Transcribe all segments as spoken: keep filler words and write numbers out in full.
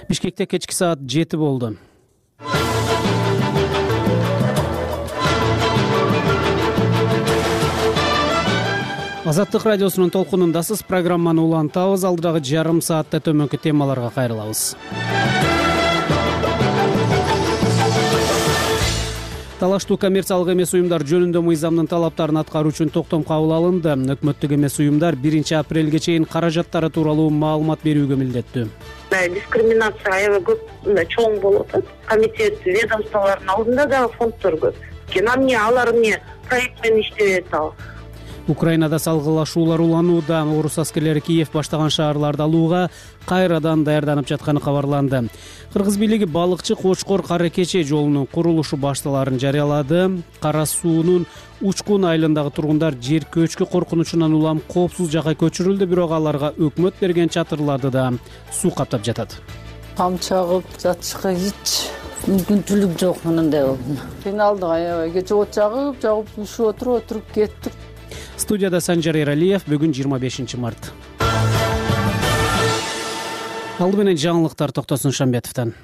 Бишкекте кечки саат жети болду. Азаттык радиосунун толкунундасыз. Программаны улантабыз. Алдыдагы жарым саатта төмөнкү темаларга кайрылабыз. Талаштуу коммерциялык эмес уюмдар жөнүндө мыйзамдын талаптарын аткаруу үчүн токтом кабыл алынды. Өкмөттүк эмес уюмдар биринчи апрелге чейин каражаттары тууралуу маалымат берүүгө милдеттүү. Дискриминация аябай көп, мындай чоң болуп атат. Комитет ведомстволордун алдында дагы фонддор көп. Нам эмне алар эмне проект менен иштебейт ал. Украинада салгылашуулар уланууда. Орус аскерлери Киев баштаган шаарларды алууга кайрадан даярданып жатканы кабарланды. Кыргыз бийлиги балыкчы Кочкор кара кече жолунун курулушу башталарын жарыялады. Кара суунун Учкун айылындагы тургундар жер көчкү коркунучунан улам коопсуз жакка көчүрүлдү, бирок аларга өкмөт берген чатырларды да суу каптап жатат. Там чагып жатышка эч мүмкүнчүлүк жок. Мындай болду. Кыйналдык аябай. Кече от жагып, жагып ушуп отуруп отуруп кеттик. Студияда Санжар Эралиев. Бүгүн жыйырма бешинчи март. Алды менен жаңылыктар Токтосун Шамбетовдон.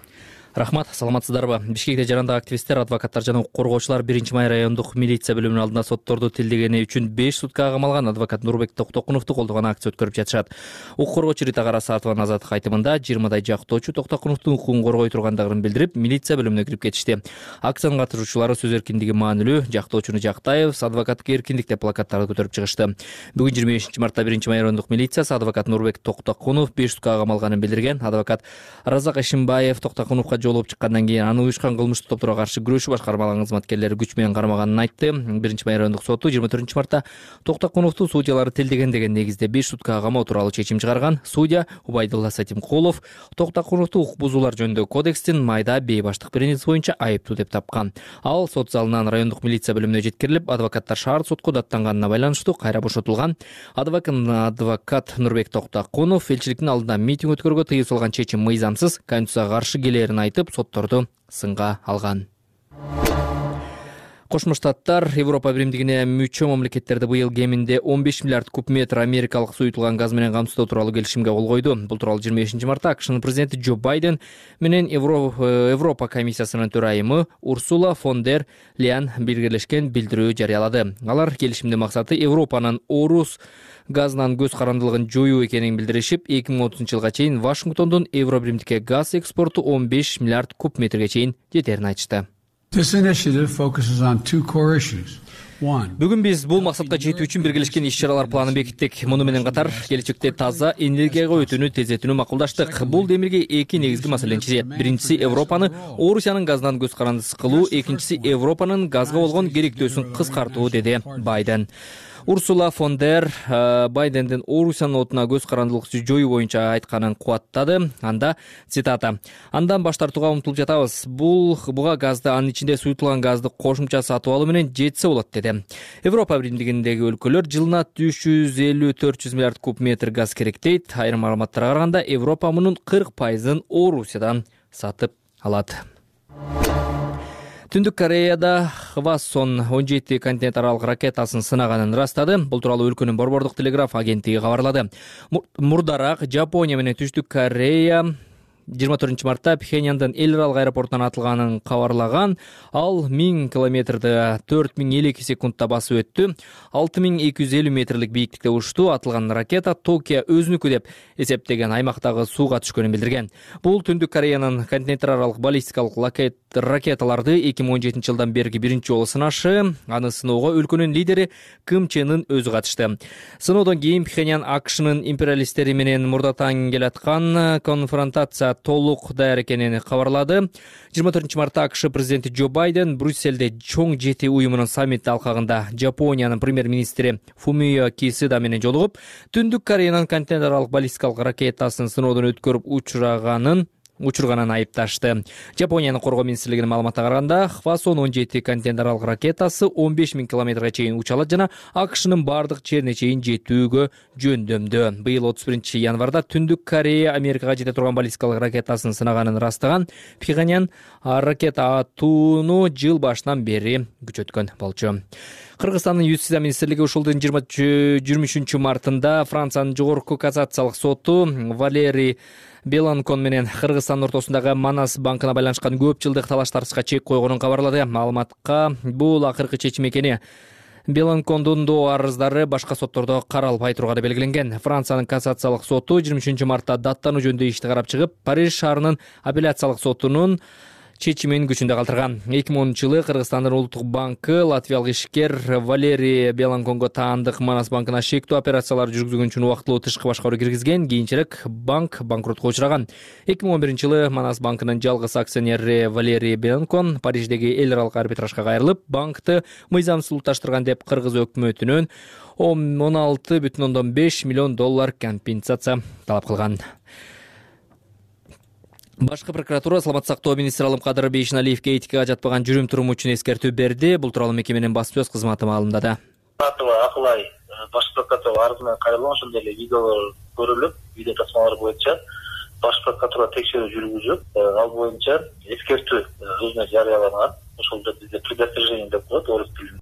Рахмат, саламатсыздарбы? Бишкекте жарандык активисттер, адвокаттар жана укук коргоочулар биринчи май райондук милиция бөлүмүнүн алдында сотторду тилдегени үчүн беш суткага камалган адвокат Нурбек Токтокуновду колдогон акция өткөрүп жатышат. Укук коргоочу Рита Карасатованын азаттык айтымында жыйырмадай жактоочу Токтокуновдун укугун коргой тургандыгын билдирип, милиция бөлүмүнө кирип кетишти. Акциянын катышуучулары сөз эркиндиги маанилүү, жактоочуну жактайбыз, адвокаттык эркиндик деп плакаттарды көтөрүп чыгышты. Бүгүн жыйырма бешинчи мартта биринчи май райондук милициясы адвокат Нурбек Токтокунов беш суткага камалганын билдирген. Адвокат Разак Эшимбаев Токтокуновго жолугуп чыккандан кийин аны уюшкан кылмыштуу топторго каршы күрөшүү башкармалыгынын кызматкерлери күч менен кармаганын айтты. биринчи май райондук соту жыйырма төртүнчү мартта Токтокуновду судьялары тилдеген деген негизде беш суткага камоо тууралуу чечим чыгарган. Судья Убайдулла Сатимкулов Токтокуновду укук бузуулар жөнүндөгү кодекстин майда бейбаштык принципи боюнча айыптуу деп тапкан. Ал сот залынан райондук милиция бөлүмүнө жеткирилип, адвокаттар шаар сотко даттанганына байланыштуу кайра бошотулган. Адвокат Нурбек Токтокунов элчиликтин алдында митинг өткөрүүгө тыюу салган чечим мыйзамсыз, конституцияга каршы келээрин айтып, сотторду сынга алган. Кошмо Штаттар Европа биримдигине мүчө мамлекеттерди быйыл кеминде он беш миллиард куб метр америкалык суютулган газ менен камсыздоо тууралуу келишимге кол койду. Бул тууралуу жыйырма бешинчи мартта АКШнын президенти Джо Байден менен Европа комиссиясынын төрайымы Урсула фон дер Ляйен биргелешкен билдирүү жарыялады. Алар келишимдин максаты Европанын орус газынан көз карандылыгын жоюу экенин билдиришип, эки миң отузунчу жылга чейин Вашингтондун Евро биримдикке газ экспорту он беш миллиард куб метрге чейин жетерин айтышты. Бүгүн биз бул максатка жетүү үчүн биргелешкен иш-чаралар планын бекиттик. Муну менен катар келечекте таза энергияга өтүүнү тездетүүнү макулдаштык. Бул демирге эки негизги маселени чечет. Биринчиси Европаны Орусиянын газынан көз карандысыз кылуу, экинчиси Европанын газга болгон керектөөсүн кыскартуу, деди Байден. Урсула фон дер Байдендин Орусиянын отуна көз карандылыкты жоюу боюнча айтканын кубаттады. Анда цитата: "Андан баш тартууга умтулуп жатабыз. Бул буга газды, анын ичинде суютулган газды кошумча сатып алуу менен жетсе болот", деди. Европа биримдигиндеги өлкөлөр жылына үч жүз элүү төрт жүз миллиард куб метр газ керек дейт. Айрым маалыматтарга караганда Европа мунун кырк пайызын Орусиядан сатып алат. Түндүк Кореяда Хвасон он жети континент аралык ракетасын сынаганын ырастады. Бул тууралуу өлкөнүн борбордук телеграф агенттиги кабарлады. Мурдараак Жапония менен Түштүк Корея жыйырма төртүнчү мартта Пхеньяндын эл аралык аэропортунан атылганын кабарлаган. Ал миң километрди төрт миң элүү эки секундда басып өттү. алты миң эки жүз элүү метрлик бийиктикте учту. Атылган ракета Токио өзүнүкү деп эсептеген аймактагы сууга түшкөнүн билдирген. Бул Түндүк Кореянын континенттер аралык баллистикалык ракеталарды эки миң он жетинчи жылдан берки биринчи жолу сынашы. Аны сыноого өлкөнүн лидери Ким Чен Ын өзү катышты. Сыноодон кийин Пхеньян АКШнын империалисттери менен мурдатаң келаткан конфронтация толук даяр экенин кабарлады. жыйырма төртүнчү мартта АКШ президенти Джо Байден Брюсселде чоң жети уюмунун саммити алкагында Жапониянын премьер-министри Фумио Кисида менен жолугуп, Түндүк Кореянын континент аралык баллистикалык ракетасын сыноодон өткөрүп учурганын учурганын айыпташты. Жапониянын коргоо министрлигинин маалыматына караганда, Хвасон он жети континент аралык ракетасы он беш миң километрге чейин уча алат жана АКШнын бардык жерине чейин жетүүгө жөндөмдүү. Быйыл отуз биринчи январда Түндүк Корея Америкага жете турган баллистикалык ракетасын сынаганын ырастаган. Пхеньян ракета атууну жыл башынан бери күчөткөн болчу. Кыргызстандын Юстиция министрлиги ушул жылдын жыйырма үчүнчү мартында Франциянын жогорку кассациялык соту Валерий Беланкон менен Кыргызстандын ортосундагы Манас банкына байланышкан көп жылдык талаш-тартышка чек койгонун кабарлады. Маалыматка бул акыркы чечим экени Беланкондун доо арыздары башка соттордо каралбай турганы белгиленген. Франциянын кассациялык соту жыйырма үчүнчү мартта даттануу жөнүндө ишти карап чыгып, Париж шаарынын апелляциялык сотунун чечимин күчүндө калтырган. эки миң онунчу жылы Кыргызстандын улуттук банкы латвиялык ишкер Валерий Беланконго таандык Манас банкына шектүү операциялар жүргүзгөн үчүн убактылуу тышкы башкаруу киргизген. Кийинчерээк банк банкротко учураган. эки миң он биринчи жылы Манас банкынын жалгыз акционери Валерий Беланкон Париждеги эл аралык арбитражга кайрылып, банкты мыйзамсыздуулаштырган деп Кыргыз өкмөтүнөн он алты бүтүн ондон беш миллион доллар компенсация талап кылган. Башкы прокуратура саламаттык сактоо министри Алымкадыр Бейшеналиевге этикага жатпаган жүрүм туруму үчүн эскертүү берди. Бул тууралуу мекеменин баспасөз кызматы маалымдады. Акылай баш прокуратура арызына кайрылган, ошондой эле видеолор көрүлүп, видео тасмалар боюнча баш прокуратура текшерүү жүргүзүп, ал боюнча эскертүү өзүнө жарыялаган. Ошол бизде предостережение деп коет орус тилинде.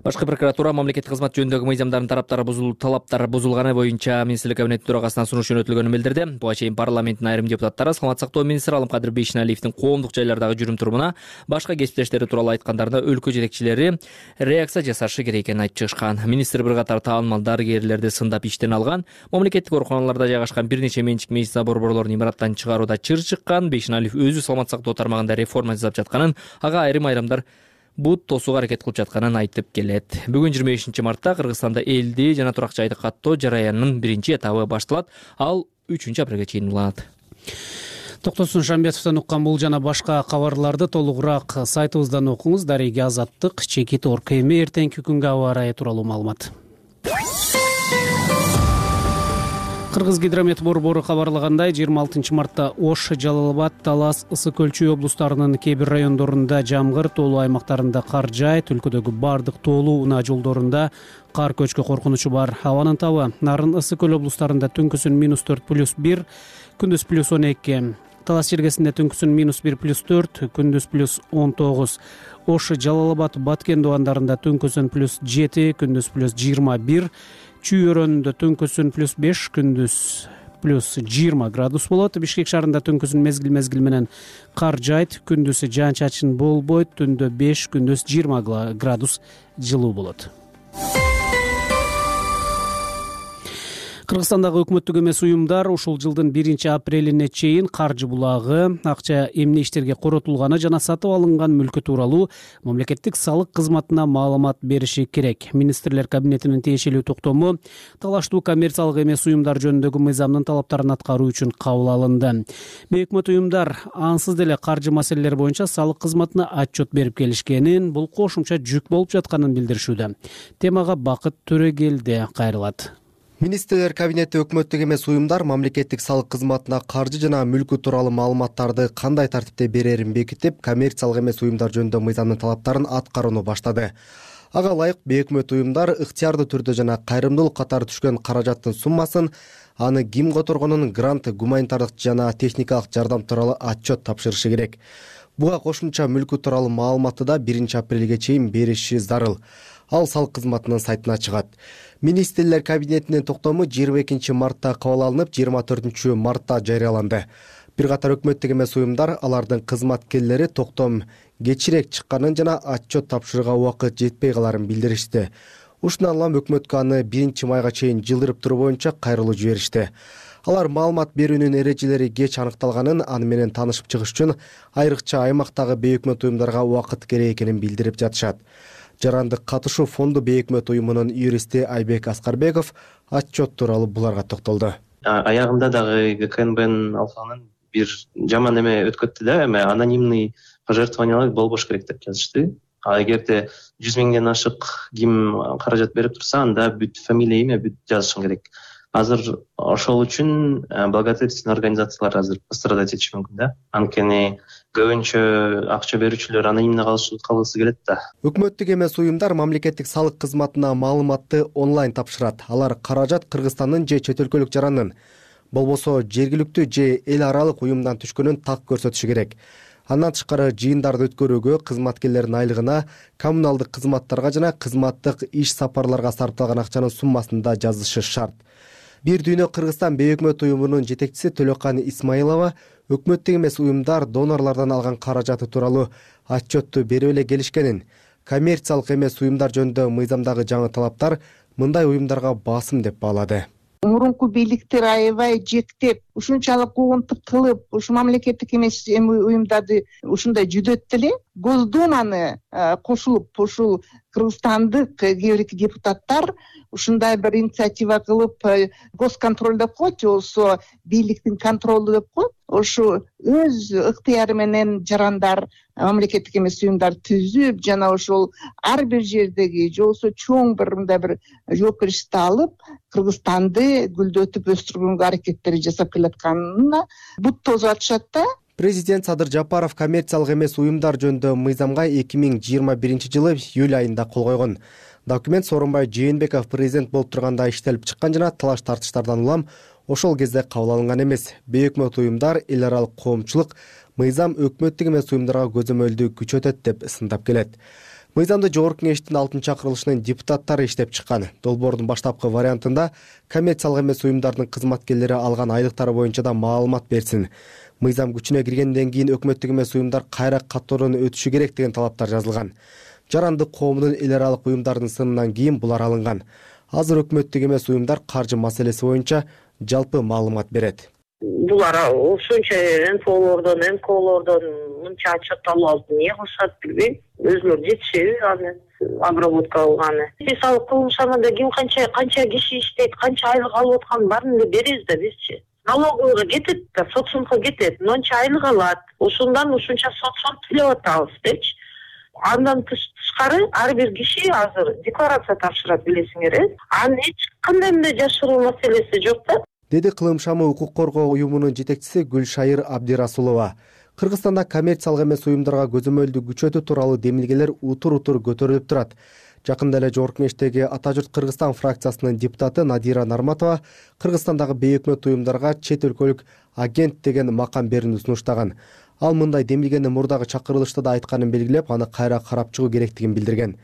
Башкы прокуратура мамлекеттик кызмат жөнүндөгү мыйзамдардын тараптары бузулуп, талаптары бузулганы боюнча министрлик кабинети төрагасына сунуш жөнөтүлгөнүн билдирди. Буга чейин парламенттин айрым депутаттары саламаттык сактоо министри Алымкадыр Бейшеналиевдин коомдук жайлардагы жүрүм турумуна, башка кесиптештери тууралуу айткандарында өлкө жетекчилери реакция жасашы керек экенин айтып чыгышкан. Министр бир катар таанымал дарыгерлерди сындап иштен алган, мамлекеттик ооруканаларда жайгашкан бир нече менчик медицина борборлорун имараттан чыгарууда чыр чыккан. Бейшеналиев өзү саламаттык сактоо тармагында реформа жасап жатканын, ага айрым айрымдар бут тосууга аракет кылып жатканын айтып келет. Бүгүн жыйырма бешинчи мартта Кыргызстанда элди жана турак жайды каттоо жараянынын биринчи этабы башталат. Ал үчүнчү апрелге чейин уланат. Токтосун Шамбетовдон уккан бул жана башка кабарларды толугураак сайтыбыздан окуңуз. Дареги Азаттык, Чекит Орг. Эми эртеңки күнгө аба ырайы тууралуу маалымат. Кыргыз гидромет борбору кабарлагандай, жыйырма алтынчы мартта Ош, Жалал абад, Талас, Ысык Өлчө облустарынын кээ бир райондорунда жамгыр, тоолуу аймактарында кар жаайт. Өлкөдөгү бардык тоолуу унаа жолдорунда кар көчкү коркунучу бар. Абанын табы Нарын, Ысык Көл облустарында түнкүсүн минус төрт плюс бир, күндүз плюс он эки. Талас жергесинде түнкүсүн минус бир плюс төрт, күндүз плюс он тогуз. Ош, Жалал абад, Баткен дубандарында түнкүсүн плюс жети, күндүз плюс жыйырма бир. Чүй өрөөнүндө түнкүсүн плюс беш, күндүз плюс жыйырма градус болот. Бишкек шаарында түнкүсүн мезгил мезгил менен кар жаайт, күндүз жаан чачын болбойт, түндө беш, күндүз жыйырма градус жылуу болот. Кыргызстандагы өкмөттүк эмес уюмдар ушул жылдын биринчи апрелине чейин каржы булагы, акча эмне иштерге коротулганы жана сатып алынган мүлкү тууралуу мамлекеттик салык кызматына маалымат бериши керек. Министрлер кабинетинин тиешелүү токтому талаштуу коммерциялык эмес уюмдар жөнүндөгү мыйзамдын талаптарын аткаруу үчүн кабыл алынды. Бейөкмөт уюмдар ансыз деле каржы маселелери боюнча салык кызматына отчет берип келишкенин, бул кошумча жүк болуп жатканын билдиришүүдө. Темага Бакыт Төрөгелди кайрылат. Министрлер кабинети өкмөттүк эмес уюмдар мамлекеттик салык кызматына каржы жана мүлкү тууралуу маалыматтарды кандай тартипте берерин бекитип, коммерциялык эмес уюмдар жөнүндө мыйзамдын талаптарын аткарууну баштады. Ага ылайык бейөкмөт уюмдар ыктыярдуу түрдө жана кайрымдуулук катары түшкөн каражаттын суммасын, аны ким которгонун, грант, гуманитардык жана техникалык жардам тууралуу отчет тапшырышы керек. Буга кошумча мүлкү тууралуу маалыматты да биринчи апрелге чейин бериши зарыл. Ал салык кызматынын сайтына чыгат. Министрлер кабинетинин токтому жыйырма экинчи мартта кабыл алынып, жыйырма төртүнчү мартта жарыяланды. Бир катар өкмөттүк эмес уюмдар алардын кызматкерлери токтом кечирээк чыкканын жана отчет тапшырууга убакыт жетпей каларын билдиришти. Ушундан улам өкмөткө аны биринчи майга чейин жылдырып туруу боюнча кайрылуу жиберишти. Алар маалымат берүүнүн эрежелери кеч аныкталганын, аны менен таанышып чыгыш үчүн айрыкча аймактагы бейөкмөт уюмдарга убакыт керек экенин билдирип жатышат. Жарандык катышуу фонду бейөкмөт уюмунун юристи Айбек Аскарбеков отчет тууралуу буларга токтолду. Аягында дагы ГКНБнын алкагынан бир жаман эме өткөттү да, эме анонимный пожертвованиялар болбош керек деп жазышты. А эгерде жүз миңден ашык ким каражат берип турса, анда бүт фамилия, имя бүт жазышың керек. Азыр ошол үчүн благотворительный организациялар азыр пострадать этиши мүмкүн да. Анткени көбүнчө акча берүүчүлөр анонимный калгысы келет да. Өкмөттүк эмес уюмдар мамлекеттик салык кызматына маалыматты онлайн тапшырат. Алар каражат Кыргызстандын же чет өлкөлүк жаранын, болбосо жергиликтүү же эл аралык уюмдан түшкөнүн так көрсөтүшү керек. Андан тышкары жыйындарды өткөрүүгө, кызматкерлердин айлыгына, коммуналдык кызматтарга жана кызматтык иш сапарларга сарпталган акчанын суммасын да жазышы шарт. Бир дүйнө Кыргызстан бейөкмөт уюмунун жетекчиси Төлөкан Исмаилова өкмөттүк эмес уюмдар донорлордон алган каражаты тууралуу отчетту берип эле келишкенин, коммерциялык эмес уюмдар жөнүндө мыйзамдагы жаңы талаптар мындай уюмдарга басым деп баалады. Мурунку бийликтер аябай жектеп, ушунчалык куугунтук кылып, ушу мамлекеттик эмес уюмдарды ушундай жүдөт деле. Госдуманы кошулуп, ушул кыргызстандык кээ бир депутаттар ушундай бир инициатива кылып, госконтроль деп коет, же болбосо бийликтин контролу деп коет. Ошо өз ыктыяры менен жарандар, мамлекеттик эмес уюмдар түзүп, жана ошол ар бир жердеги, же болбосо чоң бир мындай бир жоопкерчиликти алып, Кыргызстанды гүлдөтүп өстүргөнгө аракеттери жасап келатканына бут тосуп атышат да. Президент Садыр Жапаров коммерциялык эмес уюмдар жөнүндө мыйзамга эки миң жыйырма биринчи жылы июль айында кол койгон. Документ Сооронбай Жээнбеков президент болуп турганда иштелип чыккан жана талаш тартыштардан улам ошол кезде кабыл алынган эмес. Бейөкмөт уюмдар, эл аралык коомчулук мыйзам өкмөттүк эмес уюмдарга көзөмөлдү күчөтөт деп сындап келет. Мыйзамды Жогорку Кеңештин алтынчы чакырылышынын депутаттары иштеп чыккан. Долбоордун баштапкы вариантында коммерциялык эмес уюмдардын кызматкерлери алган айлыктары боюнча да маалымат берсин. Мыйзам күчүнө киргенден кийин өкмөттүк эмес уюмдар кайра каттоодон өтүшү керек деген талаптар жазылган. Жарандык коомдун эл аралык уюмдардын сынынан кийин булар алынган. Азыр өкмөттүк эмес уюмдар каржы маселеси боюнча жалпы маалымат берет. Булар ушунча эн эф олордон, эн ка олордон мынча отчет алып алып эмне кылышат билбейм. Өзүлөрү жетишеби аны обработка кылганы. Мисалы кылымшанада ким канча канча киши иштейт, канча айлык алып атканын баарын эле беребиз да бизчи. Налоговыйга кетет да, соцфондго кетет, мынча айлык алат, ушундан ушунча соцфонд төлөп атабыз депчи. Андан тышкары ар бир киши азыр декларация тапшырат, билесиңер, э? Анын эч кандай мындай жашыруу маселеси жок да. Деди Кылым шамы укук коргоо уюмунун жетекчиси Гүлшайыр Абдирасулова. Кыргызстанда коммерциялык эмес уюмдарга көзөмөлдү күчөтүү тууралуу демилгелер утур-утур көтөрүлүп турат. Жакында эле Жогорку Кеңештеги Ата журт Кыргызстан фракциясынын депутаты Надира Нарматова Кыргызстандагы бейөкмөт уюмдарга чет өлкөлүк агент деген макам берүүнү сунуштаган. Ал мындай демилгени мурдагы чакырылышта да айтканын белгилеп, аны кайра карап чыгуу керектигин билдирген.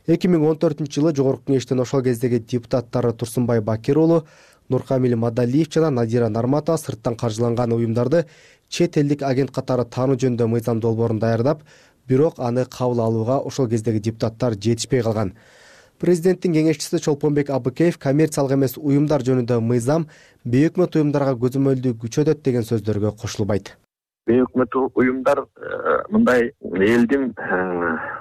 эки миң он төртүнчү жылы Жогорку Кеңештин ошол кездеги депутаттары Турсунбай Бакир уулу, Нуркамил Мадалиев жана Надира Нарматова сырттан каржыланган уюмдарды чет элдик агент катары таануу жөнүндө мыйзам долбоорун даярдап, бирок аны кабыл алууга ошол кездеги депутаттар жетишпей калган. Президенттин кеңешчиси Чолпонбек Абыкеев коммерциялык эмес уюмдар жөнүндө мыйзам бейөкмөт уюмдарга көзөмөлдү күчөтөт деген сөздөргө кошулбайт. Бейөкмөт уюмдар мындай элдин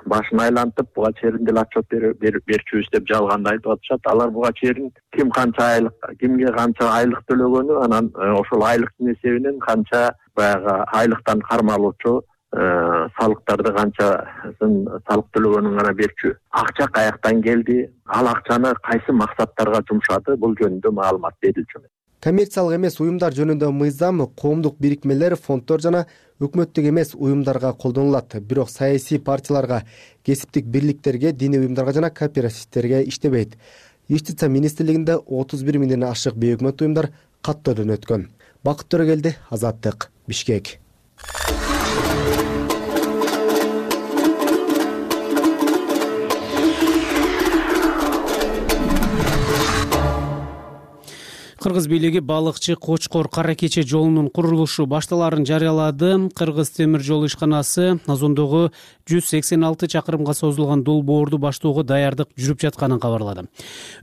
башын айлантып, буга чейин деле отчет берчүбүз деп жалганда айтып атышат. Алар буга чейин ким канча айлык, кимге канча айлык төлөгөнү, анан ошол айлыктын эсебинен канча баягы айлыктан кармалуучу салыктарды канчасын салык төлөгөнүн гана берчү. Акча каяктан келди, ал акчаны кайсы максаттарга жумшады, бул жөнүндө маалымат берилчү. Коммерциялык эмес уюмдар жөнүндө мыйзам коомдук бирикмелер, фонддор жана өкмөттүк эмес уюмдарга колдонулат. Бирок саясий партияларга, кесиптик бирликтерге, диний уюмдарга жана кооперативтерге иштебейт. Юстиция министрлигинде отуз бир миңден ашык бейөкмөт уюмдар каттоодон өткөн. Бакыт Төрөгелди, Азаттык, Бишкек. Кыргыз бийлиги балыкчы Кочкор Кара Кече жолунун курулушу башталарын жарыялады. Кыргыз темир жол ишканасы Озондогу жүз сексен алты чакырымга созулган долбоорду баштоого даярдык жүрүп жатканын кабарлады.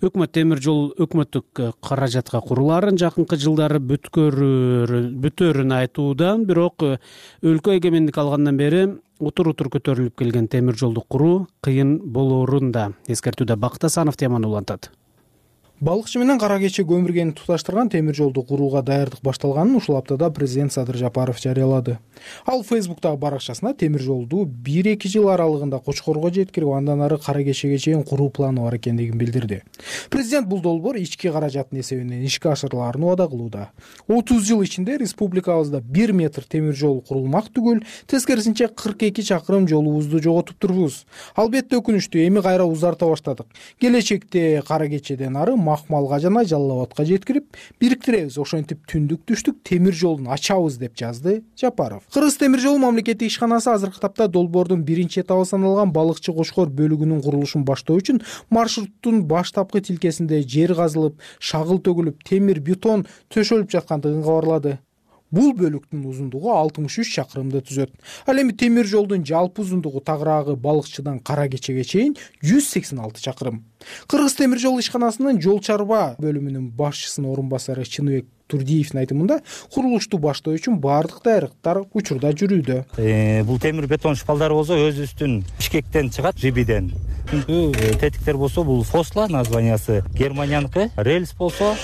Өкмөт темир жол өкмөттүк каражатка куруларын жакынкы жылдары бүтөрүн айтууда, бирок өлкө эгемендик алгандан бери утур-утур көтөрүлүп келген темир жолду куруу кыйын болоорун да эскертүүдө Бакыт Асанов теманы улантат. Балыкчы менен Кара Кече көмүргени туташтырган темир жолду курууга даярдык башталганын ушул аптада президент Садыр Жапаров жарыялады. Ал Фейсбуктагы баракчасына темир жолду бир-эки жыл аралыгында Кочкорго жеткирип, андан ары Кара Кечеге чейин куруу планы бар экендигин билдирди. Президент бул долбоор ички каражаттын эсебинен ишке ашырылаарын убада кылууда. отуз жыл ичинде республикабызда бир метр темир жол курулмак түгүл, тескерисинче кырк эки чакырым жолубузду жоготуп турбуз. Албетте өкүнүчтүү, эми кайра узарта баштадык. Келечекте Кара Кечеден ары Макмалга жана Жалал Абадка жеткирип бириктиребиз, ошентип түндүк түштүк темир жолун ачабыз деп жазды Жапаров. Кыргыз темир жолу мамлекеттик ишканасы азыркы тапта долбоордун биринчи этабы саналган Балыкчы Кочкор бөлүгүнүн курулушун баштоо үчүн маршруттун баштапкы тилкесинде жер казылып, шагыл төгүлүп, темир бетон төшөлүп жаткандыгын кабарлады. Бул бөлүктүн узундугу алтымыш үч чакырымды түзөт. Ал эми темир жолдун жалпы узундугу тагыраагы Балыкчыдан Кара Кечеге чейин жүз сексен алты чакырым. Кыргыз темир жол ишканасынын жол чарба бөлүмүнүн башчысынын орун басары Чыныбек Турдиевдин айтымында, курулушту баштоо үчүн баардык даярдыктар учурда жүрүүдө. Э, бул темир бетон шпалдары болсо өзүбүздүн Бишкектен чыгат, Жибиден. Тетиктер болсо бул Фосла названиясы Германияныкы, рельс болсо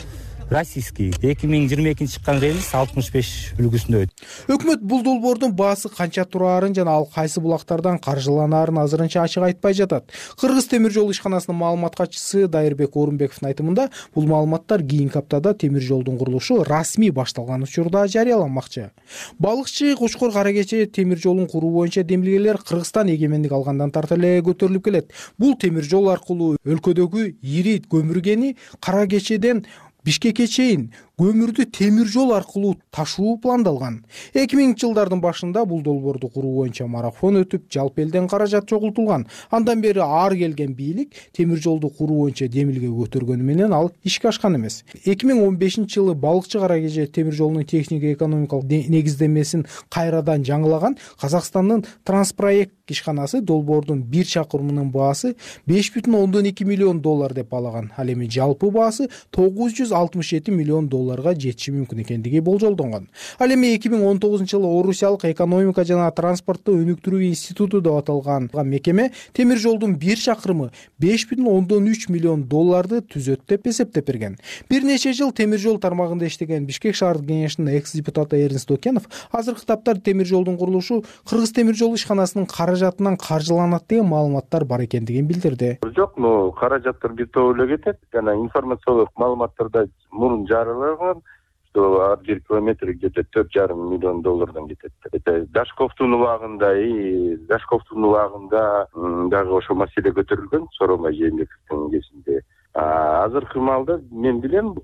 российский. эки миң жыйырма экинчи чыккан рельс алтымыш беш үлгүсүндө. Өкмөт бул долбоордун баасы канча тураарын жана ал кайсы булактардан каржыланаарын азырынча ачык айтпай жатат. Кыргыз темир жол ишканасынын маалымат катчысы Дайырбек Орунбековдун айтымында, бул маалыматтар кийинки аптада темир жолдун курулушу расмий башталган учурда жарыяланмакчы. Балыкчы Кочкор Кара Кече темир жолун куруу боюнча демилгелер Кыргызстан эгемендик алгандан тарта эле көтөрүлүп келет. Бул темир жол аркылуу өлкөдөгү ири көмүргени Кара Кечеден Бишкекке чейин көмүрдү темир жол аркылуу ташуу пландалган. эки миңинчи жылдардын башында бул долбоорду куруу боюнча марафон өтүп, жалпы элден каражат чогултулган. Андан бери ар келген бийлик темир жолду куруу боюнча демилге көтөргөнү менен ал ишке ашкан эмес. эки миң он бешинчи жылы Балыкчы Кара Кече темир жолунун технико экономикалык негиздемесин кайрадан жаңылаган Казакстандын Транспроект ишканасы долбоордун бир чакырымынын баасы беш бүтүн ондон эки миллион доллар деп баалаган. Ал эми жалпы баасы тогуз жүз алтымыш жети миллион долларга жетиши мүмкүн экендиги болжолдонгон. Ал эми эки миң он тогузунчу жылы Орусиялык экономика жана транспортту өнүктүрүү институту деп аталган мекеме темир жолдун бир чакырымы беш бүтүн ондон үч миллион долларды түзөт деп эсептеп берген. Бир нече жыл темир жол тармагында иштеген Бишкек шаардык кеңешинин экс депутаты Эрнст Окенов азыркы тапта темир жолдун курулушу Кыргыз темир жол ишканасынын каражатынан каржыланат деген маалыматтар бар экендигин билдирди. Жок, но каражаттар бир топ эле кетет. Жана информациялык маалыматтарда мурун жарыялаган, что ар бир километр где-то төрт жарым миллион доллардан кетет. Это Дашковдун убагында и Дашковдун убагында дагы ошо маселе көтөрүлгөн, Сооронбай Жээнбековдун кезинде. Азыркы маалда мен билем,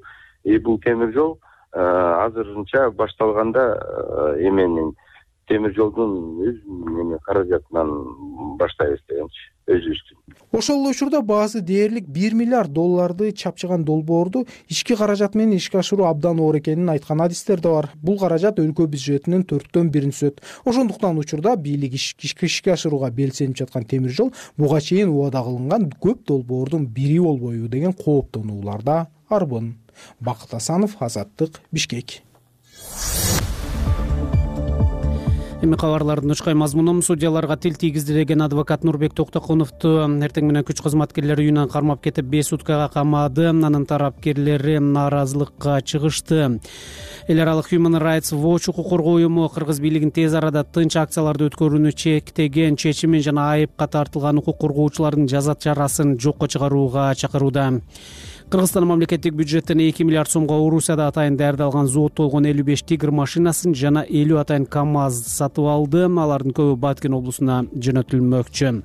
бул темир жол азырынча башталганда эменин темир жолдун өз каражатынан баштайбыз дегенчи, өзүбүздүн. Ошол эле учурда баасы дээрлик бир миллиард долларды чапчыган долбоорду ички каражат менен ишке ашыруу абдан оор экенин айткан адистер да бар. Бул каражат өлкө бюджетинин төрттөн бирин түзөт. Ошондуктан учурда бийлик ишке ашырууга белсенип жаткан темир жол буга чейин убада кылынган көп долбоордун бири болбойбу деген кооптонуулар да арбын. Бакыт Асанов, Азаттык, Бишкек. Эми кабарлардын учкай мазмунун судьяларга тил тийгиздирген адвокат Нурбек Токтокуновду эртең менен күч кызматкерлери үйүнөн кармап кетип беш суткага камады. Анын тарапкерлери нааразылыкка чыгышты. Эл аралык Human Rights Watch укук коргоо уюму Кыргыз бийлигин тез арада тынч акцияларды өткөрүүнү чектеген чечимин жана айыпка тартылган укук коргоочулардын жаза чарасын жокко чыгарууга чакырууда. Кыргызстан мамлекеттик бюджеттен эки миллиард сомго Орусияда атайын даярдалган зооттолгон элүү беш тигр машинасын жана элүү атайын КАМАЗ сатып алды. Алардын көбү Баткен облусуна жөнөтүлмөкчү.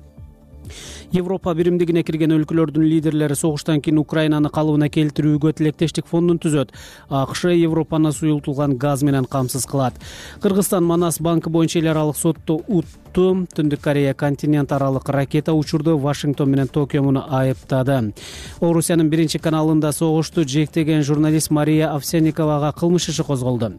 Европа биримдигине кирген өлкөлөрдүн лидерлери согуштан кийин Украинаны калыбына келтирүүгө тилектештик фондун түзөт. АКШ Европаны суюлтулган газ менен камсыз кылат. Кыргызстан Манас банкы боюнча эл аралык сотто утту. Түндүк Корея континент аралык ракета учурду Вашингтон менен Токио муну айыптады. Орусиянын биринчи каналында согушту жектеген журналист Мария Овсянниковага кылмыш иши козголду.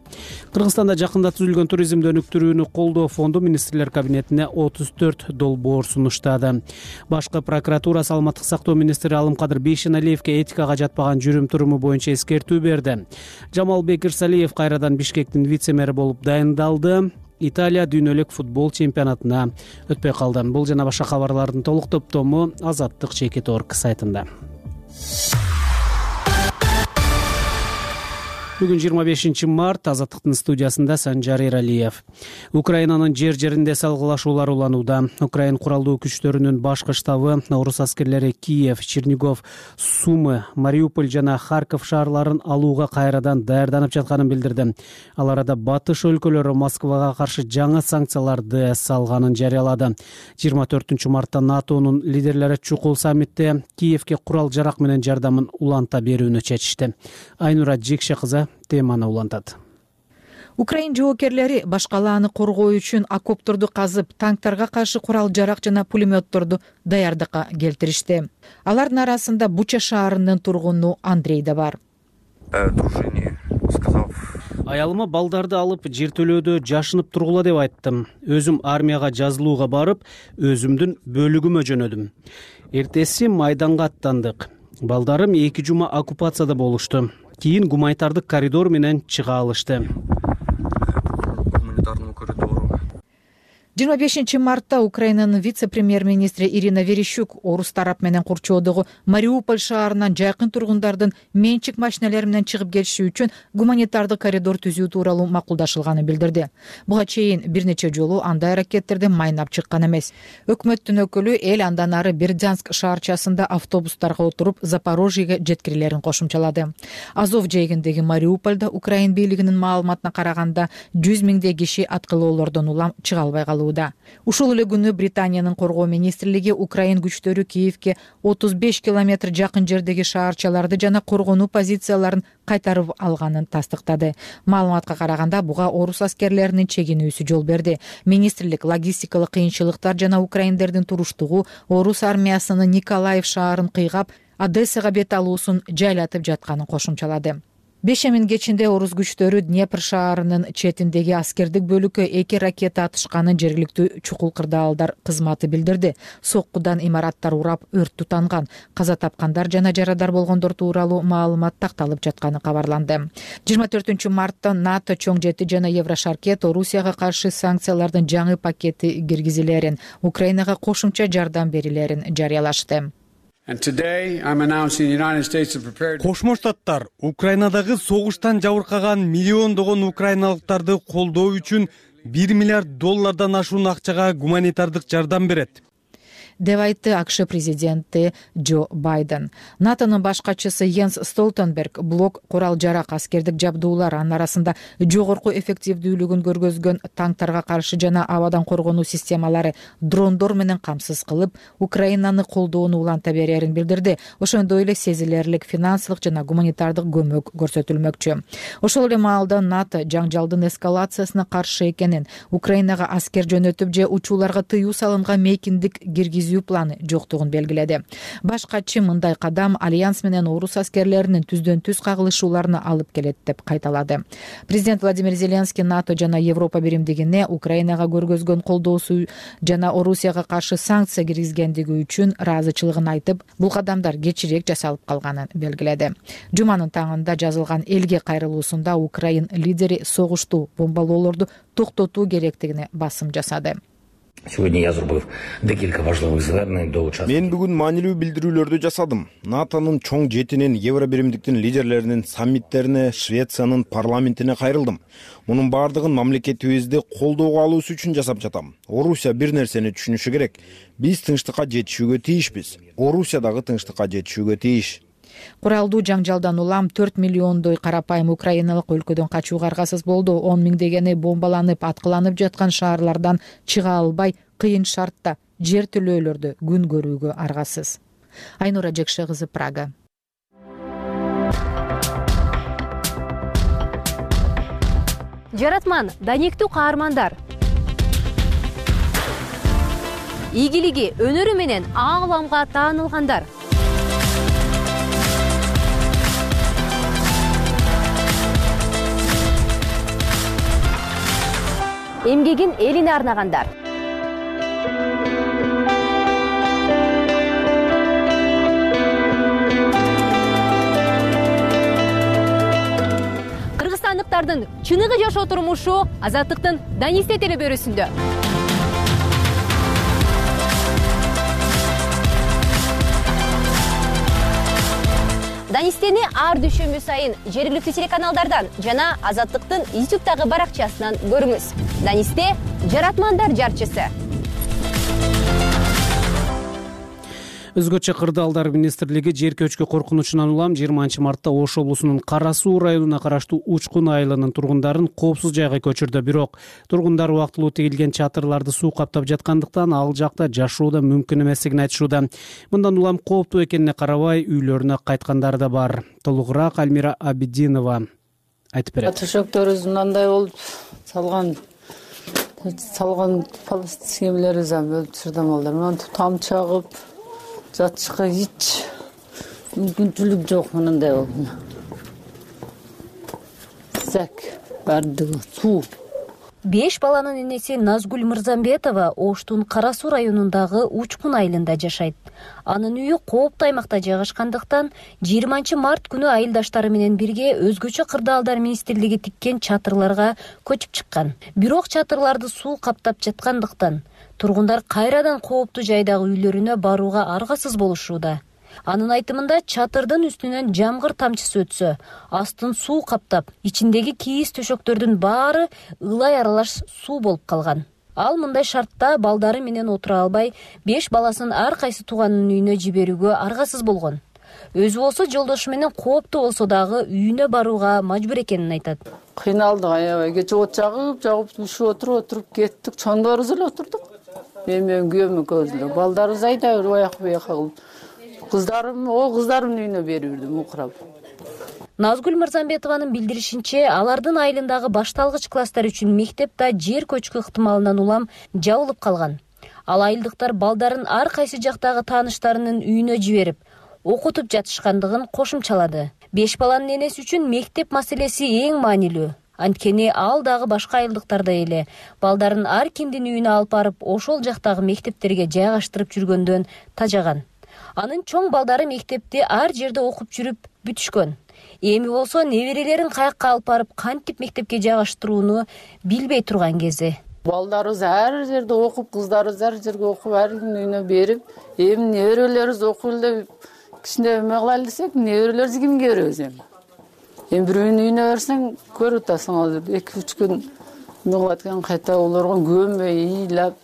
Кыргызстанда жакында түзүлгөн туризмди өнүктүрүүнү колдоо фонду министрлер кабинетине отуз төрт долбоор сунуштады. Башкы прокуратура саламаттык сактоо министри Алымкадыр Бейшеналиевке этикага жатпаган жүрүм-туруму боюнча эскертүү берди. Жамалбек Ирсалиев кайрадан Бишкектин вице-мэри болуп дайындалды. Италия дүйнөлүк футбол чемпионатына өтпөй калды. Бул жана башка кабарлардын толук топтому Азаттык чекит орг сайтында. Бүгүн жыйырма бешинчи март, Азаттыктын студиясында Санжар Эралиев. Украинанын жер жеринде салгылашуулар уланууда. Украин куралдуу күчтөрүнүн башкы штабы орус аскерлери Киев, Чернигов, Сумы, Мариуполь жана Харьков шаарларын алууга кайрадан даярданып жатканын билдирди. Ал арада батыш өлкөлөрү Москвага каршы жаңы санкцияларды салганын жарыялады. жыйырма төртүнчү мартта НАТОнун лидерлери чукул саммитте Киевке курал жарак менен жардамын уланта берүүнү чечишти. Айнура Жекше кызы теманы улантат. Украин жоокерлери баш калааны коргоо үчүн окопторду казып, танктарга каршы курал жарак жана пулеметторду даярдыкка келтиришти. Алардын арасында Буча шаарынын тургуну Андрей да бар. Аялыма балдарды алып жертөлөөдө жашынып тургула деп айттым. Өзүм армияга жазылууга барып, өзүмдүн бөлүгүмө жөнөдүм. Эртеси майданга аттандык. Балдарым эки жума оккупацияда болушту. Кийин гуманитардык коридор менен чыга алышты. жыйырма бешинчи мартта Украинанын вице-премьер-министри Ирина Верещук орус тарап менен курчоодогу Мариуполь шаарынан жакын тургундардын менчик машиналары менен чыгып кетиши үчүн гуманитардык коридор түзүү тууралуу макулдашылганын билдирди. Буга чейин бир нече жолу андай аракеттерди майнап чыккан эмес. Өкмөттүн өкүлү эл андан ары Бердянск шаарчасында автобустарга отуруп Запорожьеге жеткирилерин кошумчалады. Азов жээгиндеги Мариупольдо Украин бийлигинин маалыматына караганда жүз миңдей киши аткылоолордон улам чыга албай калды. Ушул эле күнү Британиянын коргоо министрлиги Украин күчтөрү Киевке отуз беш километр жакын жердеги шаарчаларды жана коргонуу позицияларын кайтарып алганын тастыктады. Маалыматка караганда буга орус аскерлеринин чегинүүсү жол берди. Министрлик логистикалык кыйынчылыктар жана украиндердин туруштугу орус армиясынын Николаев шаарын кыйгап, Одессага бет алуусун жайлатып жатканын кошумчалады. Бешемин кечинде орус күчтөрү Днепр шаарынын четиндеги аскердик бөлүккө эки ракета атышканын жергиликтүү чукул кырдаалдар кызматы билдирди. Соккудан имараттар урап өрт тутанган. Каза тапкандар жана жарадар болгондор тууралуу маалымат такталып жатканы кабарланды. жыйырма төртүнчү мартта НАТО чоң жети жана Еврошаркет Орусияга каршы санкциялардын жаңы пакети киргизилерин, Украинага кошумча жардам берилерин жарыялашты. Кошмо Штаттар Украинадагы согуштан жабыркаган миллиондогон украиналыктарды колдоо үчүн бир миллиард доллардан ашуун акчага гуманитардык жардам берет деп айтты АКШ президенти Джо Байден. НАТОнун баш катчысы Йенс Столтенберг блок курал жарак аскердик жабдуулар, анын арасында жогорку эффективдүүлүгүн көргөзгөн танктарга каршы жана абадан коргонуу системалары дрондор менен камсыз кылып, Украинаны колдоону уланта берерин билдирди. Ошондой эле сезилерлик финансылык жана гуманитардык көмөк көрсөтүлмөкчү. Ошол эле маалда НАТО жаңжалдын эскалациясына каршы экенин, Украинага аскер жөнөтүп же учууларга тыюу салынган мейкиндик киргизүү планы жоктугун белгиледи. Баш катчы мындай кадам альянс менен орус аскерлеринин түздөн түз кагылышууларына алып келет деп кайталады. Президент Владимир Зеленский НАТО жана Европа биримдигине Украинага көргөзгөн колдоосу жана Орусияга каршы санкция киргизгендиги үчүн ыраазычылыгын айтып, бул кадамдар кечирээк жасалып калганын белгиледи. Жуманын таңында жазылган элге кайрылуусунда Украин лидери согуштуу бомбалоолорду токтотуу керектигине басым жасады. Мен бүгүн маанилүү билдирүүлөрдү жасадым. НАТОнун чоң жетинин, Евро биримдиктин лидерлеринин саммиттерине, Швециянын парламентине кайрылдым. Мунун баардыгын мамлекетибизди колдоого алуусу үчүн жасап жатам. Орусия бир нерсени түшүнүшү керек. Биз тынчтыкка жетишүүгө тийишпиз. Орусия дагы тынчтыкка жетишүүгө тийиш. Куралдуу жаңжалдан улам төрт миллиондой карапайым украиналык өлкөдөн качууга аргасыз болду. он миңдегени бомбаланып, аткыланып жаткан шаарлардан чыга албай, кыйын шартта жертөлөөлөрдө күн көрүүгө аргасыз. Айнура Жекше кызы, Прага. Жаратман, даниктүү каармандар. Ийгилиги, өнөрү менен ааламга таанылгандар. Эмгегин элине арнагандар. Кыргызстандыктардын чыныгы жашоо турмушу Азаттыктын Данисте телебөрүсүндө. Данистени ар дүйшөмбү сайын жергиликтүү телеканалдардан жана Азаттыктын ютубтагы баракчасынан көрүңүз. Данисте жаратмандар жарчысы. Өзгөчө кырдаалдар министрлиги жер көчкү коркунучунан улам жыйырманчы мартта Ош облусунун Кара Суу районуна караштуу Учкун айылынын тургундарын коопсуз жайга көчүрдү. Бирок тургундар убактылуу тигилген чатырларды суу каптап жаткандыктан ал жакта жашоо да мүмкүн эместигин айтышууда. Мындан улам кооптуу экенине карабай үйлөрүнө кайткандар да бар. Толугураак Альмира Абидинова айтып берет. Төшөктөрүбүз мындай болуп салган салган схемалерибиз өлүп чырдамалдар. Мына тамчы агып жатышка эч мүмкүнчүлүк жок. Мындай болду. Зак бардыгы суу. Беш баланын энеси Назгүл Мырзамбетова Оштун Кара Суу районундагы Учкун айылында жашайт. Анын үйү кооптуу аймакта жайгашкандыктан жыйырманчы март күнү айылдаштары менен бирге өзгөчө кырдаалдар министрлиги тиккен чатырларга көчүп чыккан. Бирок чатырларды суу каптап жаткандыктан тургундар кайрадан кооптуу жайдагы үйлөрүнө барууга аргасыз болушууда. Анын айтымында чатырдын үстүнөн жамгыр тамчысы өтсө, астын суу каптап, ичиндеги кийиз төшөктөрдүн баары ылай аралаш суу болуп калган. Ал мындай шартта балдары менен отура албай, беш баласын ар кайсы тууганынын үйүнө жиберүүгө аргасыз болгон. Өзү болсо жолдошу менен кооптуу болсо дагы үйүнө барууга мажбур экенин айтат. Кыйналдык, аябай. Кече от жагып, жагып ушуп отуруп, отуруп кеттик. Чоңдорубуз эле отурдук. Мен менен күйөөм экөөбүз эле. Балдарыбыз айдап аяк буяка кылып. Кыздарым, о кыздарымдын үйүнө берип жүрдүм укурап. Назгүл Мырзамбетованын билдиришинче, алардын айылындагы башталгыч класстар үчүн мектеп да жер көчкү ыктымалынан улам жабылып калган. Ал айылдыктар балдарын ар кайсы жактагы тааныштарынын үйүнө жиберип, окутуп жатышкандыгын кошумчалады. Беш баланын энеси үчүн мектеп маселеси эң маанилүү. Анткени ал дагы башка айылдыктардай эле балдарын ар кимдин үйүнө алып барып, ошол жактагы мектептерге жайгаштырып жүргөндөн тажаган. Анын чоң балдары мектепти ар жерде окуп жүрүп бүтүшкөн. Эми болсо неберелерин каякка алып барып, кантип мектепке жайгаштырууну билбей турган кези. Балдарыбыз ар жерде окуп, кыздарыбыз ар жерге окуп, ар кимдин үйүнө берип, эми неберелерибиз окуйлу деп кичине эме кылайлы десек, неберелерибизди кимге беребиз эми? Эми бирөөнүн үйүнө берсең, көрүп атасың, азыр эки үч күн эме кылат экен, кайта олорго көмбөй, ыйлап.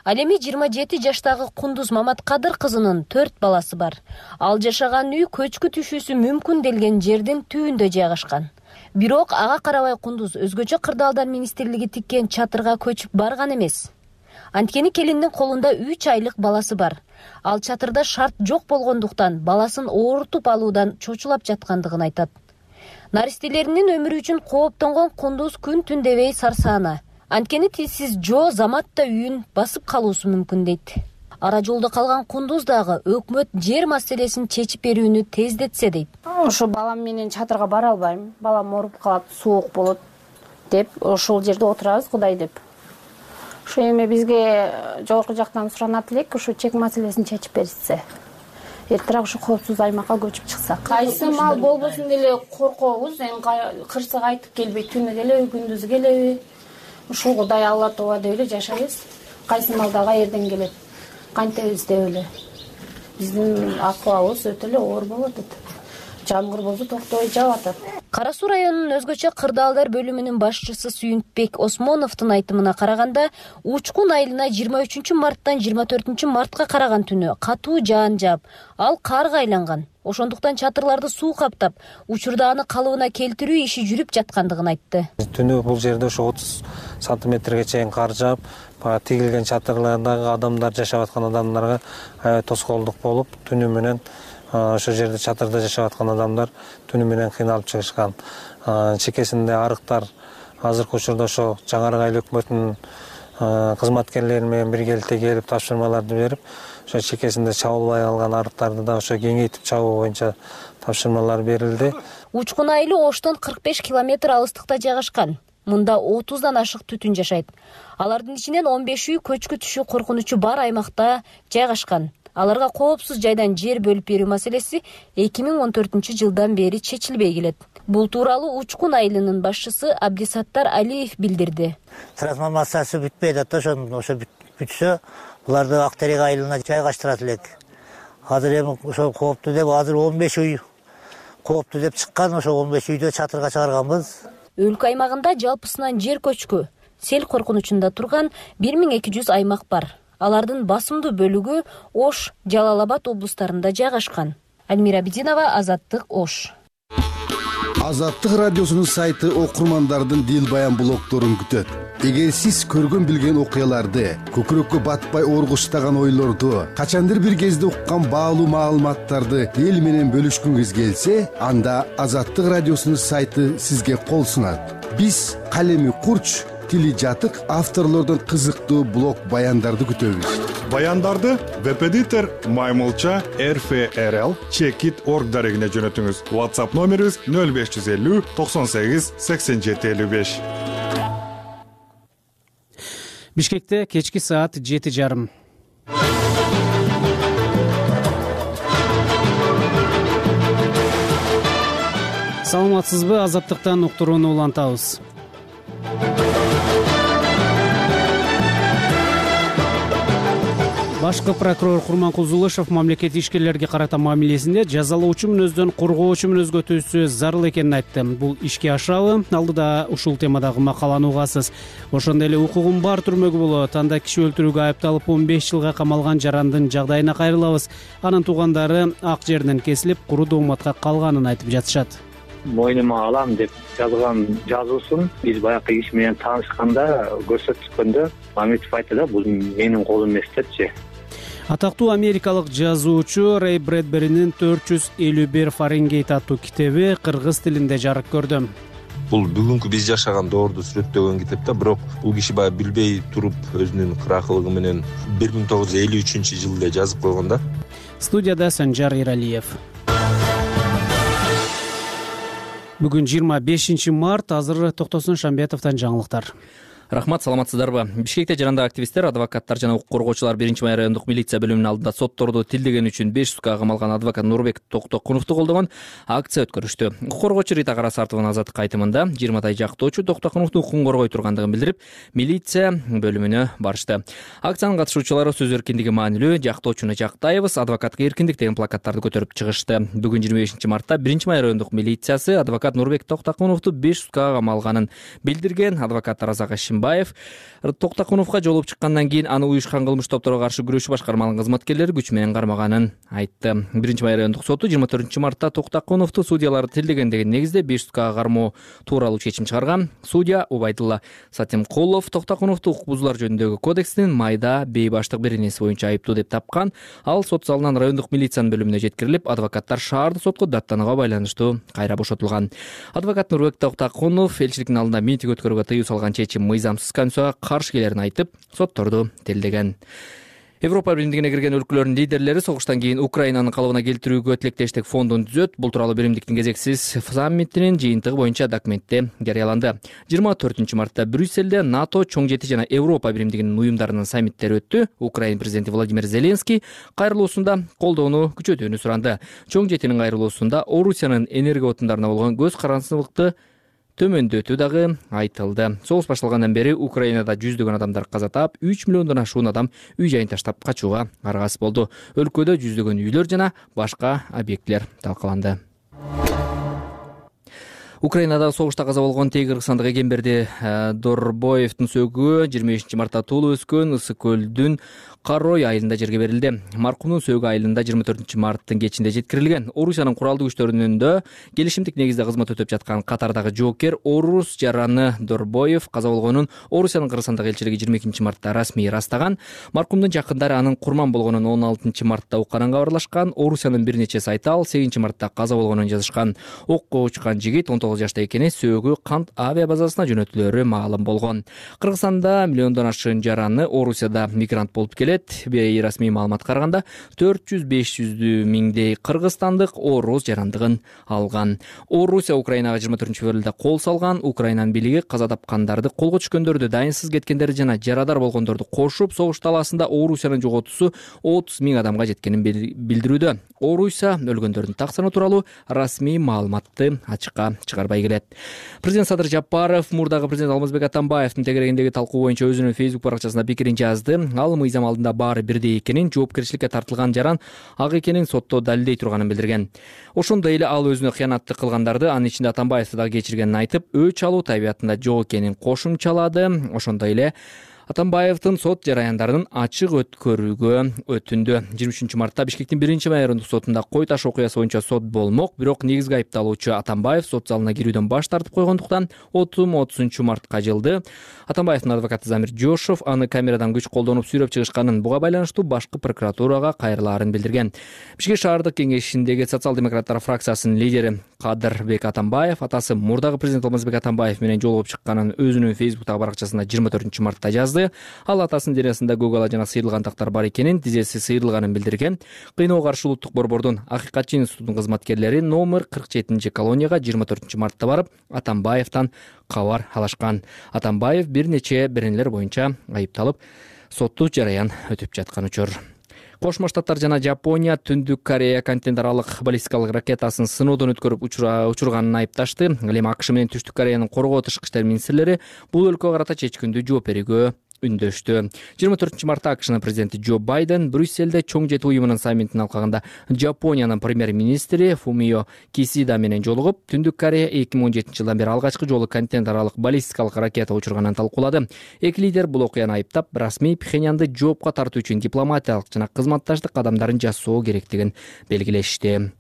Ал эми жыйырма жети жаштагы Кундуз Маматкадыр кызынын төрт баласы бар. Ал жашаган үй көчкү түшүүсү мүмкүн делген жердин түбүндө жайгашкан. Бирок ага карабай Кундуз өзгөчө кырдаалдар министрлиги тиккен чатырга көчүп барган эмес. Анткени келиндин колунда үч айлык баласы бар. Ал чатырда шарт жок болгондуктан баласын оорутуп алуудан чочулап жаткандыгын айтат. Наристелеринин өмүрү үчүн кооптонгон Кундуз күн түн дебей сарсаана. Анткени тизсиз жоо заматта үйүн басып калуусу мүмкүн дейт. Ара жолдо калган Кундуз дагы өкмөт жер маселесин чечип берүүнү тездетсе дейт. Ошо балам менен чатырга бара албайм. Балам ооруп калат, суук болот деп, ошол жерде отурабыз Кудай деп. Ошо эми бизге жогорку жактан суранат элек, ошо чек маселесин чечип беришсе. Эртерээк ошо коопсуз аймакка көчүп чыксак. Кайсы мал болбосун деле коркобуз, эми кырсык айтып келбей, түнү келеби, күндүзү келеби. Ушул Кудай Алла Тооба деп эле жашайбыз. Кайсы мал дагы эрден келет. Кантебиз деп эле. Биздин акыбабыз өтө эле оор болуп атат. Жамгыр болсо токтобой жаап атат. Кара Суу районунун өзгөчө кырдаалдар бөлүмүнүн башчысы Сүйүнтбек Осмоновдун айтымына караганда, Учкун айылына жыйырма үчүнчү марттан жыйырма төртүнчү мартка караган түнү катуу жаан жаап, ал карга айланган. Ошондуктан чатырларды суу каптап, учурда аны калыбына келтирүү иши жүрүп жаткандыгын айтты. Түнү бул жерде ошо отуз сантиметрге чейин кар жаап, тигилген чатырлардагы адамдар, жашап аткан адамдарга тоскоолдук болуп, түнү менен ошо жерде чатырда жашап аткан адамдар түнү менен кыйналып чыгышкан. Чекесинде арыктар азыркы учурда ошо Жаңарык айыл өкмөтүнүн кызматкерлери менен биргеликте келип тапшырмаларды берип, ошо чекесинде чабылбай калган арыктарды да ошо кеңейтип чабуу боюнча тапшырмалар берилди. Учкун айылы Оштон кырк беш километр алыстыкта жайгашкан. Мында отуздан ашык түтүн жашайт. Алардын ичинен он беши көчкү түшүү коркунучу бар аймакта жайгашкан. Аларга коопсуз жайдан жер бөлүп берүү маселеси эки миң он төртүнчү жылдан бери чечилбей келет. Бул тууралуу Учкун айылынын башчысы Абдисаттар Алиев билдирди. Трансформация маселеси бүтпөйт атат, ошо бүтсө, буларды Актерек айылына жайгаштырат элек. Азыр эми ошо кооптуу деп, азыр он беш үй кооптуу деп чыккан, ошо он беш үйдө чатырга чыгарганбыз. Өлкө аймагында жалпысынан жер көчкү, сел коркунучунда турган бир миң эки жүз аймак бар. Алардын басымдуу бөлүгү Ош, Жалал Абад облустарында жайгашкан. Альмира Бединова, Азаттык, Ош. Азаттык радиосунун сайты окурмандардын дил баян блогдорун күтөт. Эгер сиз көргөн билген окуяларды, көкүрөккө батпай оргуштаган ойлорду, качандыр бир кезде уккан баалуу маалыматтарды эл менен бөлүшкүңүз келсе, анда Азаттык радиосунун сайты сизге кол сунат. Биз калеми курч, тили жатык авторлордун кызыктуу блог баяндарды күтөбүз. Баяндарды веб-эдитор Маймылча эр эф эр эл чекит точка орг дарегине жөнөтүңүз. WhatsApp номерибиз нөл беш жүз элүү токсон сегиз сексен жети элүү беш. Бишкекте кечки саат жети жарым. Саламатсызбы? Азаттыктан уктурууну улантабыз. Башкы прокурор Курманкул Зулышев мамлекет ишкерлерге карата мамилесинде жазалоочу мүнөздөн коргоочу мүнөзгө өтүүсү зарыл экенин айтты. Бул ишке ашабы? Алдыда ушул темадагы макаланы угасыз. Ошондой эле укугум бар түрмөгү болот. Анда киши өлтүрүүгө айыпталып он беш жылга камалган жарандын жагдайына кайрылабыз. Анын туугандары ак жеринен кесилип, куру дооматка калганын айтып жатышат. Мойнума алам деп жазган жазуусун биз баягы киши менен таанышканда көрсөткөндө Мамедов айтты да, бул менин колум эмес депчи. Атактуу америкалык жазуучу Рэй Брэдберинин төрт жүз элүү бир Фаренгейт аттуу китеби кыргыз тилинде жарык көрдү. Бул бүгүнкү биз жашаган доорду сүрөттөгөн китеп да, бирок бул киши баягы билбей туруп өзүнүн кыракылыгы менен бир миң тогуз жүз элүү үчүнчү жылда жазып койгон да. Студияда Санжар Иралиев. Бүгүн жыйырма бешинчи март, азыр Токтосун Шамбетовдон жаңылыктар. Рахмат, саламатсыздарбы? Бишкекте жарандык активисттер, адвокаттар жана укук коргоочулар биринчи май райондук милиция бөлүмүнүн алдында сотторду тилдеген үчүн беш суткага камалган адвокат Нурбек Токтокуновду колдогон акция өткөрүштү. Укук коргоочу Рита Карасартованын азаттык айтымында жыйырмадай жактоочу Токтокуновдун укугун коргой тургандыгын билдирип, милиция бөлүмүнө барышты. Акциянын катышуучулары сөз эркиндиги маанилүү, жактоочуну жактайбыз, адвокатка эркиндик деген плакаттарды көтөрүп чыгышты. Бүгүн жыйырма бешинчи мартта биринчи май райондук милициясы адвокат Нурбек Токтокуновду беш суткага камалганын билдирген. Адвокат Таразак Баев Токтокуновго жолуп чыккандан кийин аны уюшкан кылмыш топторго каршы күрөшүү башкармалынын кызматкерлери күч менен кармаганын айтты. биринчи май райондук соту жыйырма төртүнчү мартта Токтокуновду судьялар тилдегендеги негизде беш суткага кармоо тууралуу чечим чыгарган. Судья Убайдулла Сатимкулов Токтокуновду укук бузуулар жөнүндөгү кодекстин майда бейбаштык беренеси боюнча айыптуу деп тапкан. Ал сот залынан райондук милициянын бөлүмүнө жеткирилип, адвокаттар шаардык сотко даттанууга байланыштуу кайра бошотулган. Адвокат Нурбек Токтокунов элчиликтин алдында митинг өткөрүүгө тыюу салган чечим мыйзамсыз конституцияга каршы келерин айтып, сотторду тилдеген. Европа биримдигине кирген өлкөлөрдүн лидерлери согуштан кийин Украинанын калыбына келтирүүгө тилектештик фондун түзөт. Бул тууралуу биримдиктин кезексиз саммитинин жыйынтыгы боюнча документте жарыяланды. жыйырма төртүнчү мартта Брюссельде НАТО чоң жети жана Европа биримдигинин уюмдарынын саммиттери өттү. Украин президенти Владимир Зеленский кайрылуусунда колдоону күчөтүүнү суранды. Чоң жетинин кайрылуусунда Орусиянын энергия отундарына болгон көз карандылыкты төмөндөтүү дагы айтылды. Согуш башталгандан бери Украинада жүздөгөн адамдар каза таап, үч миллиондон ашуун адам үй жайын таштап качууга аргасыз болду. Өлкөдө жүздөгөн үйлөр жана башка объектилер талкаланды. Украинада согушта каза болгон тээ кыргызстандык Эгемберди Дорбоевдун сөөгү жыйырма бешинчи мартта туулуп өскөн Ысык көлдүн Карой айылында жерге берилди. Маркумдун сөөгү айылында жыйырма төртүнчү марттын кечинде жеткирилген. Орусиянын куралдуу күчтөрүнүндө келишимдик негизде кызмат өтөп жаткан катардагы жоокер орус жараны Дорбоев каза болгонун Орусиянын Кыргызстандагы элчилиги жыйырма экинчи мартта расмий ырастаган. Маркумдун жакындары анын курман болгонун он алтынчы мартта укканын кабарлашкан. Орусиянын бир нече сайты ал сегизинчи мартта каза болгонун жазышкан. Окко учкан жигит он тогуз жашта экени, сөөгү Кант авиа базасына жөнөтүлөрү маалым болгон. Кыргызстанда миллиондон ашык жараны Орусияда мигрант болуп келет. Бейрасмий маалыматка караганда төрт жүз беш жүз миңдей кыргызстандык орус жарандыгын алган. Орусия Украинага жыйырма төртүнчү февралда кол салган. Украинанын бийлиги каза тапкандарды, колго түшкөндөрдү, дайынсыз кеткендерди жана жарадар болгондорду кошуп, согуш талаасында Орусиянын жоготуусу отуз миң адамга жеткенин билдирүүдө. Орусия өлгөндөрдүн таксаны тууралуу расмий маалыматты ачыкка чыгарбады. чыгарбай келет. Президент Садыр Жапаров мурдагы президент Алмазбек Атамбаевдин тегерегиндеги талкуу боюнча өзүнүн Facebook баракчасында пикирин жазды. Ал мыйзам алдында баары бирдей экенин, жоопкерчиликке тартылган жаран ак экенин сотто далилдей турганын билдирген. Ошондой эле ал өзүнө кыянатты кылгандарды, анын ичинде Атамбаевди дагы кечиргенин айтып, өч алуу табиятында жок экенин кошумчалады. Ошондой эле Атамбаевдин сот жараяндарынын ачык өткөрүүгө өтүндү. жыйырма үчүнчү мартта Бишкектин биринчи майорундук сотунда Кой Таш окуясы боюнча сот болмок, бирок негизги айыпталуучу Атамбаев сот залына кирүүдөн баш тартып койгондуктан отум отузунчу мартка жылды. Атамбаевдин адвокаты Замир Жошов аны камерадан күч колдонуп сүйрөп чыгышканын, буга байланыштуу башкы прокуратурага кайрылаарын билдирген. Бишкек шаардык кеңешиндеги социал-демократтар фракциясынын лидери Кадырбек Атамбаев атасы мурдагы президент Алмазбек Атамбаев менен жолугуп чыкканын өзүнүн Facebook'тагы баракчасында жыйырма төртүнчү мартта жазды. Ал атасынын денесинде көк жана сыйрылган тактар бар экенин, тизеси сыйрылганын билдирген. Кыйноого каршы улуттук борбордун Акыйкатчы институтунун кызматкерлери номер кырк жетинчи колонияга жыйырма төртүнчү мартта барып, Атамбаевден кабар алышкан. Атамбаев бир нече беренелер боюнча айыпталып, соттуу жараян өтүп жаткан учур. Кошмо Штаттар жана Жапония Түндүк Корея континент аралык баллистикалык ракетасын сыноодон өткөрүп учурганын айыпташты. Ал эми АКШ менен Түштүк Кореянын коргоо тышкы иштер министрлери бул өлкөгө карата чечкиндүү жооп берүүгө үндөштү. жыйырма төртүнчү мартта АКШнын президенти Джо Байден Брюсселде чоң жети уюмунун саммитин алкагында Жапониянын премьер-министри Фумио Кисида менен жолугуп, Түндүк Корея эки миң он жетинчи жылдан бери алгачкы жолу континент аралык баллистикалык ракета учурганын талкуулады. Эки лидер бул окуяны айыптап, расмий Пхеньянды жоопко тартуу үчүн дипломатиялык жана кызматташтык кадамдарын жасоо керектигин белгилешти.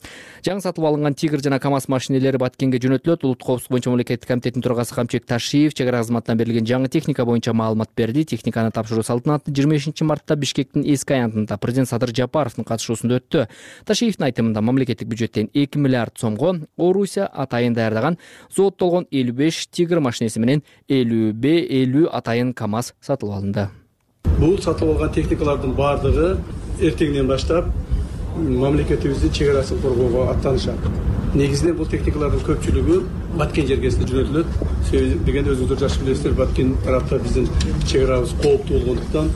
Жаңы сатып алынган Тигр жана КамАЗ машинелери Баткенге жөнөтүлөт. Улуттук коопсуздук боюнча мамлекеттик комитеттин төрагасы Камчек Ташиев чек ара кызматынан берилген жаңы техника боюнча маалымат берди. Техниканы тапшыруу салтанаты жыйырма бешинчи мартта Бишкектин эски аянтында президент Садыр Жапаровдун катышуусунда өттү. Ташиевдин айтымында мамлекеттик бюджеттен эки миллиард сомго Орусия атайын даярдаган зооттолгон элүү беш Тигр машинеси менен элүү атайын КамАЗ сатылып алынды. Бул сатып алган техникалардын баардыгы эртеңден баштап мамлекетибиздин чек арасын коргоого аттанышат. Негизинен бул техникалардын көпчүлүгү Баткен жергесине жөнөтүлөт. Себеби дегенде өзүңүздөр жакшы билесиздер, Баткен тарапта биздин чек арабыз кооптуу болгондуктан.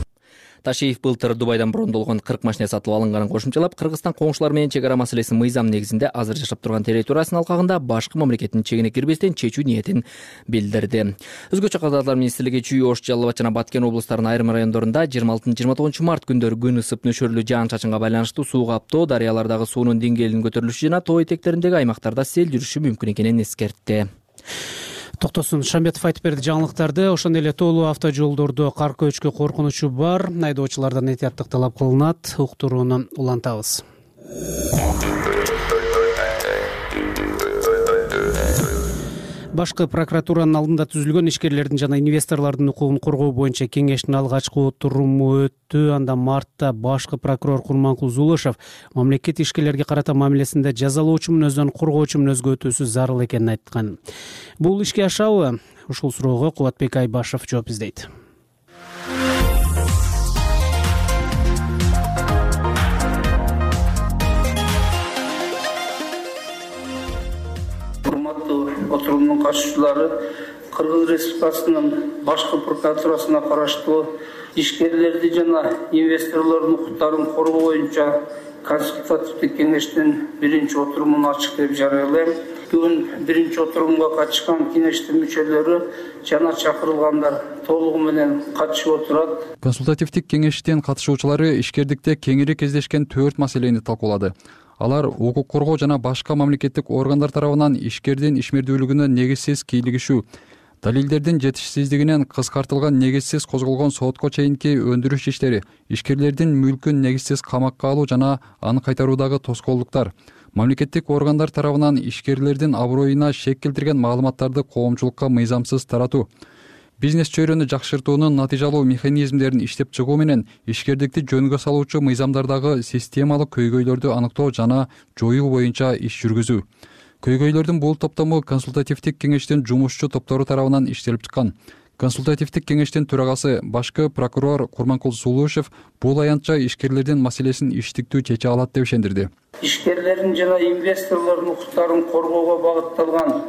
Ташиев былтыр Дубайдан брондолгон кырк машина сатып алынганын кошумчалап, Кыргызстан коңшулар менен чек ара маселесин мыйзам негизинде азыр жашап турган территориясынын алкагында башкы мамлекеттин чегине кирбестен чечүү ниетин билдирди. Өзгөчө Кадрлар министрлиги Чүй, Ош, Жалал Абад жана Баткен облустарынын айрым райондорунда жыйырма алтынчы жыйырма тогузунчу март күндөрү күн ысып нөшөрлүү жаан-чачынга байланыштуу суу каптоо, дарыялардагы суунун деңгээлинин көтөрүлүшү жана тоо этектериндеги аймактарда сел жүрүшү мүмкүн экенин эскертти. Токтосун Шамбетов айтып берди жаңылыктарды. Ошондой эле тоолуу автожолдордо кар көчкү коркунучу бар. Айдоочулардан этияттык талап кылынат. Уктурууну улантабыз. Башкы прокуратуранын алдында түзүлгөн ишкерлердин жана инвесторлордун укугун коргоо боюнча кеңештин алгачкы отуруму өттү. Анда мартта башкы прокурор Курманкул Зулушев мамлекет ишкерлерге карата мамилесинде жазалоочу мүнөздөн коргоочу мүнөзгө өтүүсү зарыл экенин айткан. Бул ишке ашабы? Ушул суроого Кубатбек Айбашев жооп издейт. Отурумдун катышуучулары Кыргыз Республикасынын башкы прокуратурасына караштуу ишкерлерди жана инвесторлордун укуктарын коргоо боюнча консультативдик кеңештин биринчи отурумун ачык деп жарыялайм. Бүгүн биринчи отурумга катышкан кеңештин мүчөлөрү жана чакырылгандар толугу менен катышып отурат. Консультативдик кеңештин катышуучулары ишкердикте кеңири кездешкен төрт маселени талкуулады. Алар укук коргоо жана башка мамлекеттик органдар тарабынан ишкердин ишмердүүлүгүнө негизсиз кийлигишүү, далилдердин жетишсиздигинен кыскартылган негизсиз козголгон сотко чейинки өндүрүш иштери, ишкерлердин мүлкүн негизсиз камакка алуу жана аны кайтаруудагы тоскоолдуктар, мамлекеттик органдар тарабынан ишкерлердин аброюна шек келтирген маалыматтарды коомчулукка мыйзамсыз таратуу, бизнес чөйрөнү жакшыртуунун натыйжалуу механизмдерин иштеп чыгуу менен ишкердикти жөнгө салуучу мыйзамдардагы системалык көйгөйлөрдү аныктоо жана жоюу боюнча иш жүргүзүү. Көйгөйлөрдүн бул топтому консультативдик кеңештин жумушчу топтору тарабынан иштелип чыккан. Консультативдик кеңештин төрагасы башкы прокурор Курманкул Зулушев бул аянтча ишкерлердин маселесин иштиктүү чече алат деп ишендирди. Ишкерлердин жана инвесторлордун укуктарын коргоого багытталган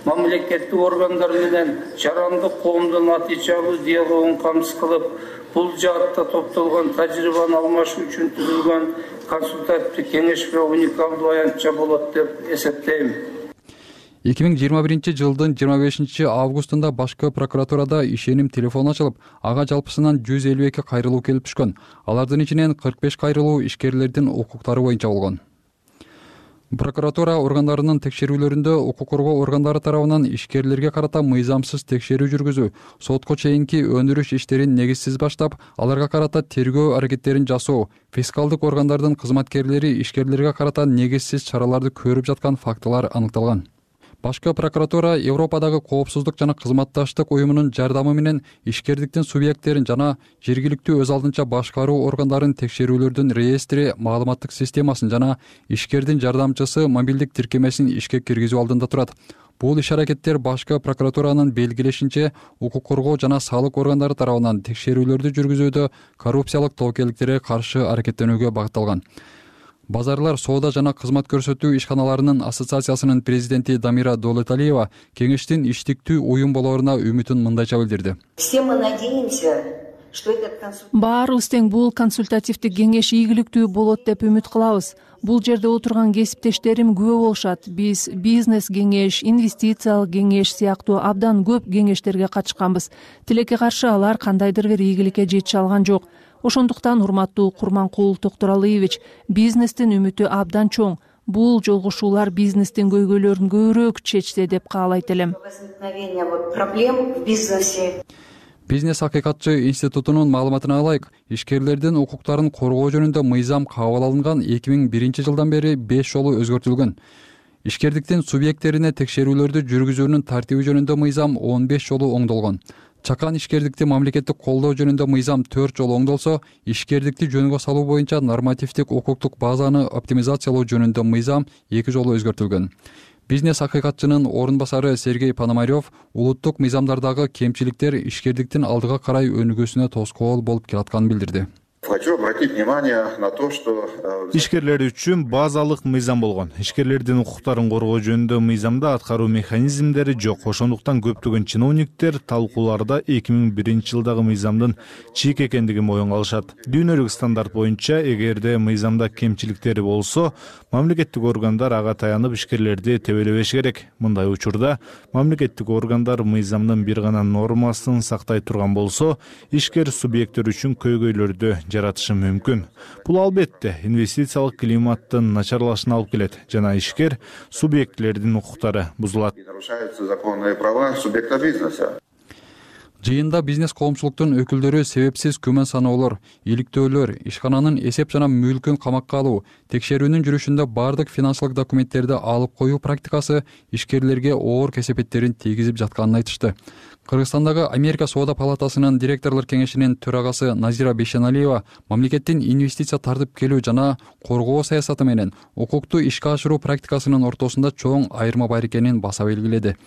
мамлекеттик органдар менен жарандык коомдун натыйжалуу диалогун камсыз кылып, бул жаатта топтолгон тажрыйбаны алмашуу үчүн түзүлгөн консультативдик кеңеш уникалдуу аянтча болот деп эсептейм. эки миң жыйырма биринчи жылдын жыйырма бешинчи августунда башкы прокуратурада ишеним телефону ачылып, ага жалпысынан жүз элүү эки кайрылуу келип түшкөн. Алардын ичинен кырк беш кайрылуу ишкерлердин укуктары боюнча болгон. Прокуратура органдарынын текшерүүлөрүндө укук коргоо органдары тарабынан ишкерлерге карата мыйзамсыз текшерүү жүргүзүү, сотко чейинки өндүрүш иштерин негизсиз баштап, аларга карата тергөө аракеттерин жасоо, фискалдык органдардын кызматкерлери ишкерлерге карата негизсиз чараларды көрүп жаткан фактылар аныкталган. Башкы прокуратура Европадагы коопсуздук жана кызматташтык уюмунун жардамы менен ишкердиктин субъекттерин жана жергиликтүү өз алдынча башкаруу органдарын текшерүүлөрдүн реестри маалыматтык системасын жана ишкердин жардамчысы мобилдик тиркемесин ишке киргизүү алдында турат. Бул иш-аракеттер башкы прокуратуранын белгилешинче укук коргоо жана салык органдары тарабынан текшерүүлөрдү жүргүзүүдө коррупциялык тобокелдиктерге каршы аракеттенүүгө багытталган. Базарлар соода жана кызмат көрсөтүү ишканаларынын ассоциациясынын президенти Дамира Доолеталиева кеңештин иштиктүү уюм болооруна үмүтүн мындайча билдирди. Все мы надеемся, что этот консультативный... Баарыбыз тең бул консультативдик кеңеш ийгиликтүү болот деп үмүт кылабыз. Бул жерде отурган кесиптештерим күбө болушат. Биз бизнес кеңеш, инвестициялык кеңеш сыяктуу абдан көп кеңештерге катышканбыз. Тилекке каршы алар кандайдыр бир ийгиликке жете алган жок. Ошондуктан урматтуу Курманкул Токтуралиевич, бизнестин үмүтү абдан чоң. Бул жолугушуулар бизнестин көйгөйлөрүн көбүрөөк чечсе деп каалайт элем. Проблем в бизнесе. Бизнес акыйкатчы институтунун маалыматына ылайык, ишкерлердин укуктарын коргоо жөнүндө мыйзам кабыл алынган эки миң биринчи жылдан бери беш жолу өзгөртүлгөн. Ишкердиктин субъекттерине текшерүүлөрдү жүргүзүүнүн тартиби жөнүндө мыйзам он беш жолу оңдолгон. Чакан ишкердикти мамлекеттик колдоо жөнүндө мыйзам төрт жолу оңдолсо, ишкердикти жөнгө салуу боюнча нормативдик укуктук базаны оптимизациялоо жөнүндө мыйзам эки жолу өзгөртүлгөн. Бизнес акыйкатчынын орун басары Сергей Пономарев улуттук мыйзамдардагы кемчиликтер ишкердиктин алдыга карай өнүгүүсүнө тоскоол болуп келатканын билдирди. Хочу обратить внимание на то, что ишкерлер үчүн базалык мыйзам болгон. Ишкерлердин укуктарын коргоо жөнүндө мыйзамда аткаруу механизмдери жок. Ошондуктан көптөгөн чиновниктер талкууларда эки миң биринчи жылдагы мыйзамдын чийик экендигин моюнга алышат. Дүйнөлүк стандарт боюнча, эгерде мыйзамда кемчиликтери болсо, мамлекеттик органдар ага таянып ишкерлерди тебелебеш керек. Мындай учурда мамлекеттик органдар мыйзамдын бир гана нормасын сактай турган болсо, ишкер субъекттер үчүн көйгөйлөрдү жаратышы мүмкүн. Бул албетте инвестициялык климаттын начарлашына алып келет жана ишкер субъектлердин укуктары бузулат. Нарушаются законные права субъекта бизнеса. Жыйында бизнес коомчулуктун өкүлдөрү себепсиз күмөн саноолор, иликтөөлөр, ишкананын эсеп жана мүлкүн камакка алуу, текшерүүнүн жүрүшүндө бардык финансылык документтерди алып коюу практикасы ишкерлерге оор кесепеттерин тийгизип жатканын айтышты. Кыргызстандагы Америка Соода палатасынын директорлор кеңешинин төрагасы Назира Бейшеналиева мамлекеттин инвестиция тартып келүү жана коргоо саясаты менен укукту ишке ашыруу практикасынын ортосунда чоң айырма бар экенин баса белгиледи.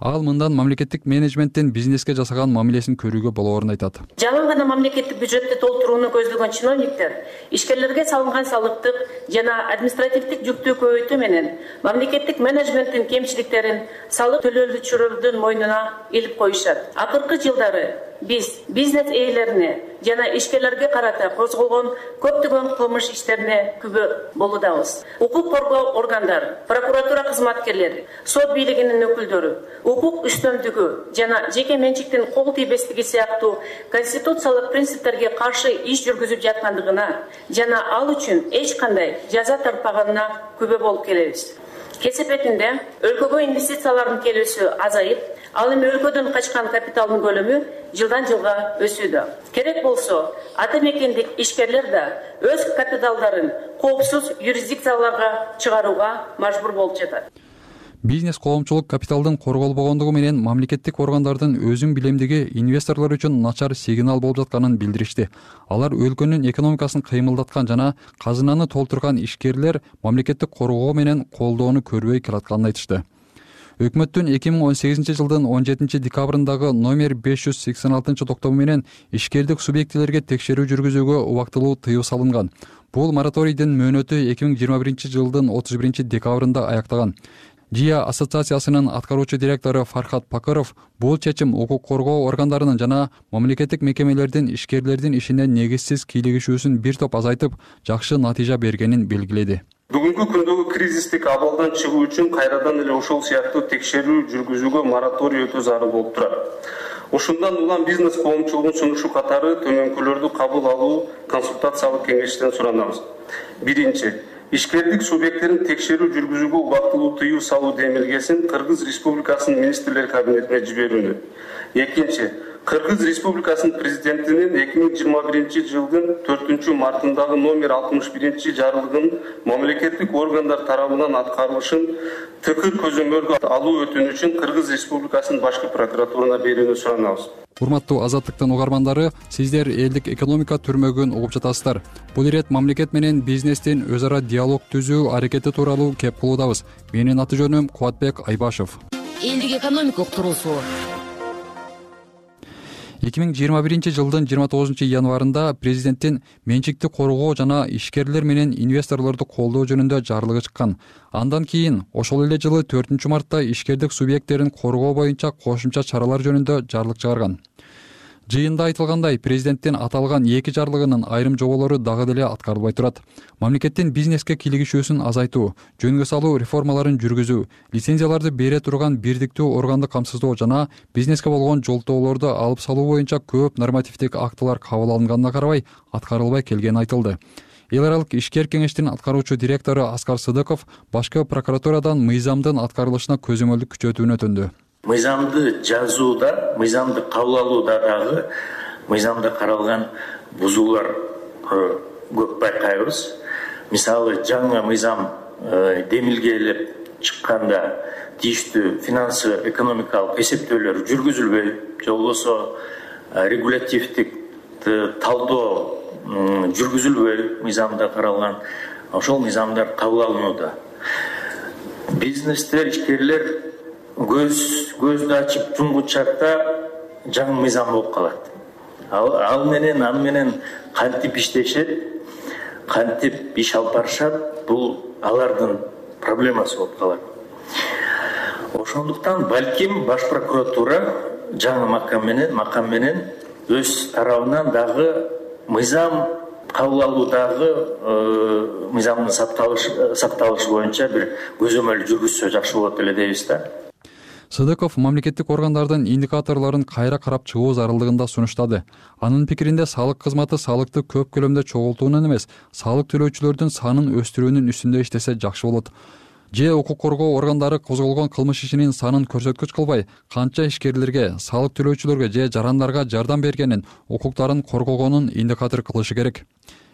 Ал мындан мамлекеттик менеджменттин бизнеске жасаган мамилесин көрүүгө болоорун айтат. Жалаң гана мамлекеттик бюджетти толтурууну көздөгөн чиновниктер ишкерлерге салынган салыктык жана административдик жүктү көбөйтүү менен мамлекеттик менеджменттин кемчиликтерин салык төлөөчүлөрдүн мойнуна илип коюшат. Акыркы жылдары биз бизнес ээлерине жана ишкерлерге карата козголгон көптөгөн кылмыш иштерине күбө болуудабыз. Укук коргоо органдары, прокуратура кызматкерлери, сот бийлигинин өкүлдөрү укук үстөмдүгү жана жеке менчиктин кол тийбестиги сыяктуу конституциялык принциптерге каршы иш жүргүзүп жаткандыгына жана ал үчүн эч кандай жаза тартпаганына күбө болуп келебиз. Кесепетинде өлкөгө инвестициялардын келүүсү азайып, ал эми өлкөдөн качкан капиталдын көлөмү жылдан жылга өсүүдө. Керек болсо, ата мекендик ишкерлер да өз капиталдарын коопсуз юрисдикцияларга чыгарууга мажбур болуп жатат. Бизнес коомчулук капиталдын корголбогондугу менен мамлекеттик органдардын өзүн билемдиги инвесторлор үчүн начар сигнал болуп жатканын билдиришти. Алар өлкөнүн экономикасын кыймылдаткан жана казынаны толтурган ишкерлер мамлекеттик коргоо менен колдоону көрбөй келатканын айтышты. Өкмөттүн эки миң он сегизинчи жылдын он жетинчи декабрындагы номер беш жүз сексен алтынчы токтому менен ишкердик субъектилерге текшерүү жүргүзүүгө убактылуу тыюу салынган. Бул мораторийдин мөөнөтү эки миң жыйырма биринчи жылдын отуз биринчи декабрында аяктаган. ЖИА ассоциациясынын аткаруучу директору Фархат Пакыров бул чечим укук коргоо органдарынын жана мамлекеттик мекемелердин ишкерлердин ишине негизсиз кийлигишүүсүн бир топ азайтып, жакшы натыйжа бергенин белгиледи. Бүгүнкү күндөгү кризистик абалдан чыгуу үчүн кайрадан эле ошол сыяктуу текшерүү жүргүзүүгө мораторий өтө зарыл болуп турат. Ушундан улам бизнес коомчулугунун сунушу катары төмөнкүлөрдү кабыл алуу консультациялык кеңештен суранабыз. Биринчи, ишкердик субъекттерин текшерүү жүргүзүүгө убактылуу тыюу салуу демилгесин Кыргыз Республикасынын министрлер кабинетине жиберүүнү. Экинчи, Кыргыз Республикасынын президентинин эки миң жыйырма биринчи жылдын төртүнчү мартындагы номер алтымыш биринчи жарлыгынын мамлекеттик органдар тарабынан аткарылышын ТК көзөмөлгө алуу өтүнүчүн Кыргыз Республикасынын башкы прокуратурасына берүүнү суранабыз. Урматтуу Азаттыктын угармандары, сиздер элдик экономика түрмөгүн угуп жатасыздар. Бул ирет мамлекет менен бизнестин өз ара диалог түзүү аракети тууралуу кеп кылуудабыз. Менин аты жөнүм Кубатбек Айбашев. Элдик экономика уктуруусу. эки миң жыйырма биринчи жылдын жыйырма тогузунчу январында президенттин менчикти коргоо жана ишкерлер менен инвесторлорду колдоо жөнүндө жарлыгы чыккан. Андан кийин ошол эле жылы төртүнчү мартта ишкердик субъекттерин коргоо боюнча кошумча чаралар жөнүндө жарлык чыгарган. Жыйында айтылгандай, президенттин аталган эки жарлыгынын айрым жоболору дагы деле аткарылбай турат. Мамлекеттин бизнеске кийлигишүүсүн азайтуу, жөнгө салуу реформаларын жүргүзүү, лицензияларды бере турган бирдиктүү органды камсыздоо жана бизнеске болгон жолтоолорду алып салуу боюнча көп нормативдик актылар кабыл алынганына карабай аткарылбай келгени айтылды. Эл аралык ишкер кеңештин аткаруучу директору Аскар Сыдыков башкы прокуратурадан мыйзамдын аткарылышына көзөмөлдүк күчөтүүнү өтүндү. Мыйзамды жазууда, мыйзамды кабыл алууда дагы мыйзамда каралган бузуулар көп байкайбыз. Мисалы, жаңы мыйзам демилгелеп чыкканда тийиштүү финансы экономикалык эсептөөлөр жүргүзүлбөй, же болбосо регулятивдик талдоо жүргүзүлбөй мыйзамда каралган ошол мыйзамдар кабыл алынууда. Бизнестер, ишкерлер көз көздү ачып жумгучакта жаңы мыйзам болуп калат. Ал, ал менен аны менен кантип иштешет, кантип иш алып барышат, бул алардын проблемасы болуп калат. Ошондуктан балким баш прокуратура жаңы макам менен макам менен өз тарабынан дагы мыйзам кабыл алуудагы мыйзамдын сакталышы боюнча бир көзөмөл жүргүзсө жакшы болот эле дейбиз да. Сыдыков мамлекеттик органдардын индикаторлорун кайра карап чыгуу зарылдыгында сунуштады. Анын пикиринде салык кызматы салыкты көп көлөмдө чогултуунун эмес, салык төлөөчүлөрдүн санын өстүрүүнүн үстүндө иштесе жакшы болот. Же укук коргоо органдары козголгон кылмыш ишинин санын көрсөткүч кылбай, канча ишкерлерге, салык төлөөчүлөргө же жарандарга жардам бергенин, укуктарын коргогонун индикатор кылышы керек.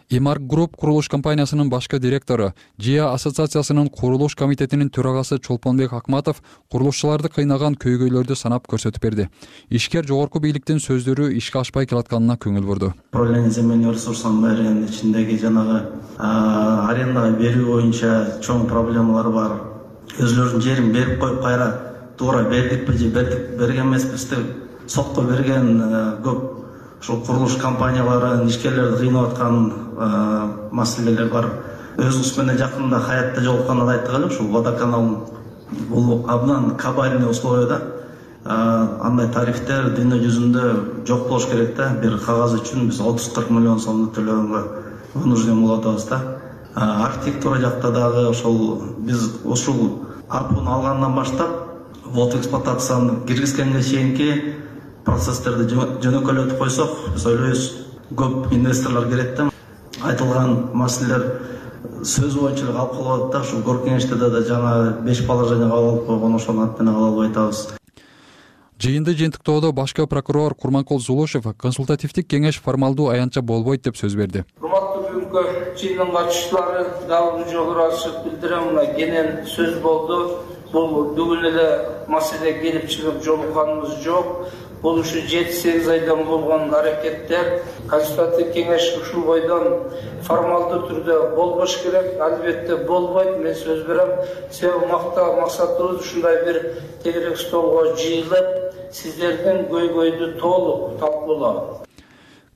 Имарк Групп курулуш компаниясынын башкы директору, ЖИА ассоциациясынын курулуш комитетинин төрагасы Чолпонбек Акматов курулушчуларды кыйнаган көйгөйлөрдү санап көрсөтүп берди. Ишкер жогорку бийликтин сөздөрү ишке ашпай келатканына көңүл бурду. Управление земельных ресурсов баарынын ичиндеги жанагы арендага берүү боюнча чоң проблемалар бар. Өзлөрүнүн жерин берип коюп кайра туура бердикпи же берген эмеспиз деп сотко берген көп ушул курулуш компаниялары ишкерлерди кыйнап аткан маселелер бар. Өзүбүз менен жакында Хаятта жолукканда айттык эле, ушул водоканал бул абдан кабальный условияда. Андай тарифтер дүйнө жүзүндө жок болуш керек да. Бир кагаз үчүн биз отуз кырк миллион сомду төлөгөнгө вынужден болуп атабыз да. Архитектура жакта дагы ошол биз ушул апуну алгандан баштап вот эксплуатацияны киргизгенге чейинки процесстерди жөнөкөйлөтүп койсок, биз ойлойбуз көп инвесторлор келет да. Айтылган маселелер сөз боюнча эле калып калып атат да. Ушул кор кеңеште да жаңа беш положение кабыл алып койгон, ошонун аты менен кабыл албай атабыз. Жыйынды жыйынтыктоодо башкы прокурор Курманкул Зулушев консультативдик кеңеш формалдуу аянтча болбойт деп сөз берди. Урматтуу бүгүнкү жыйындын катышуучулары, дагы бир жолу ыраазычылык билдирем, мына кенен сөз болду. Бул бүгүн эле маселе келип чыгып жолукканыбыз жок. Бул ушу жети сегиз айдан болгон аракеттер. Консультативдик кеңеш ушул бойдон формалдуу түрдө болбош керек, албетте болбойт. Мен сөз берем, себеби максатыбыз ушундай бир тегерек столго жыйылып, сиздердин көйгөйдү толук талкуулоо.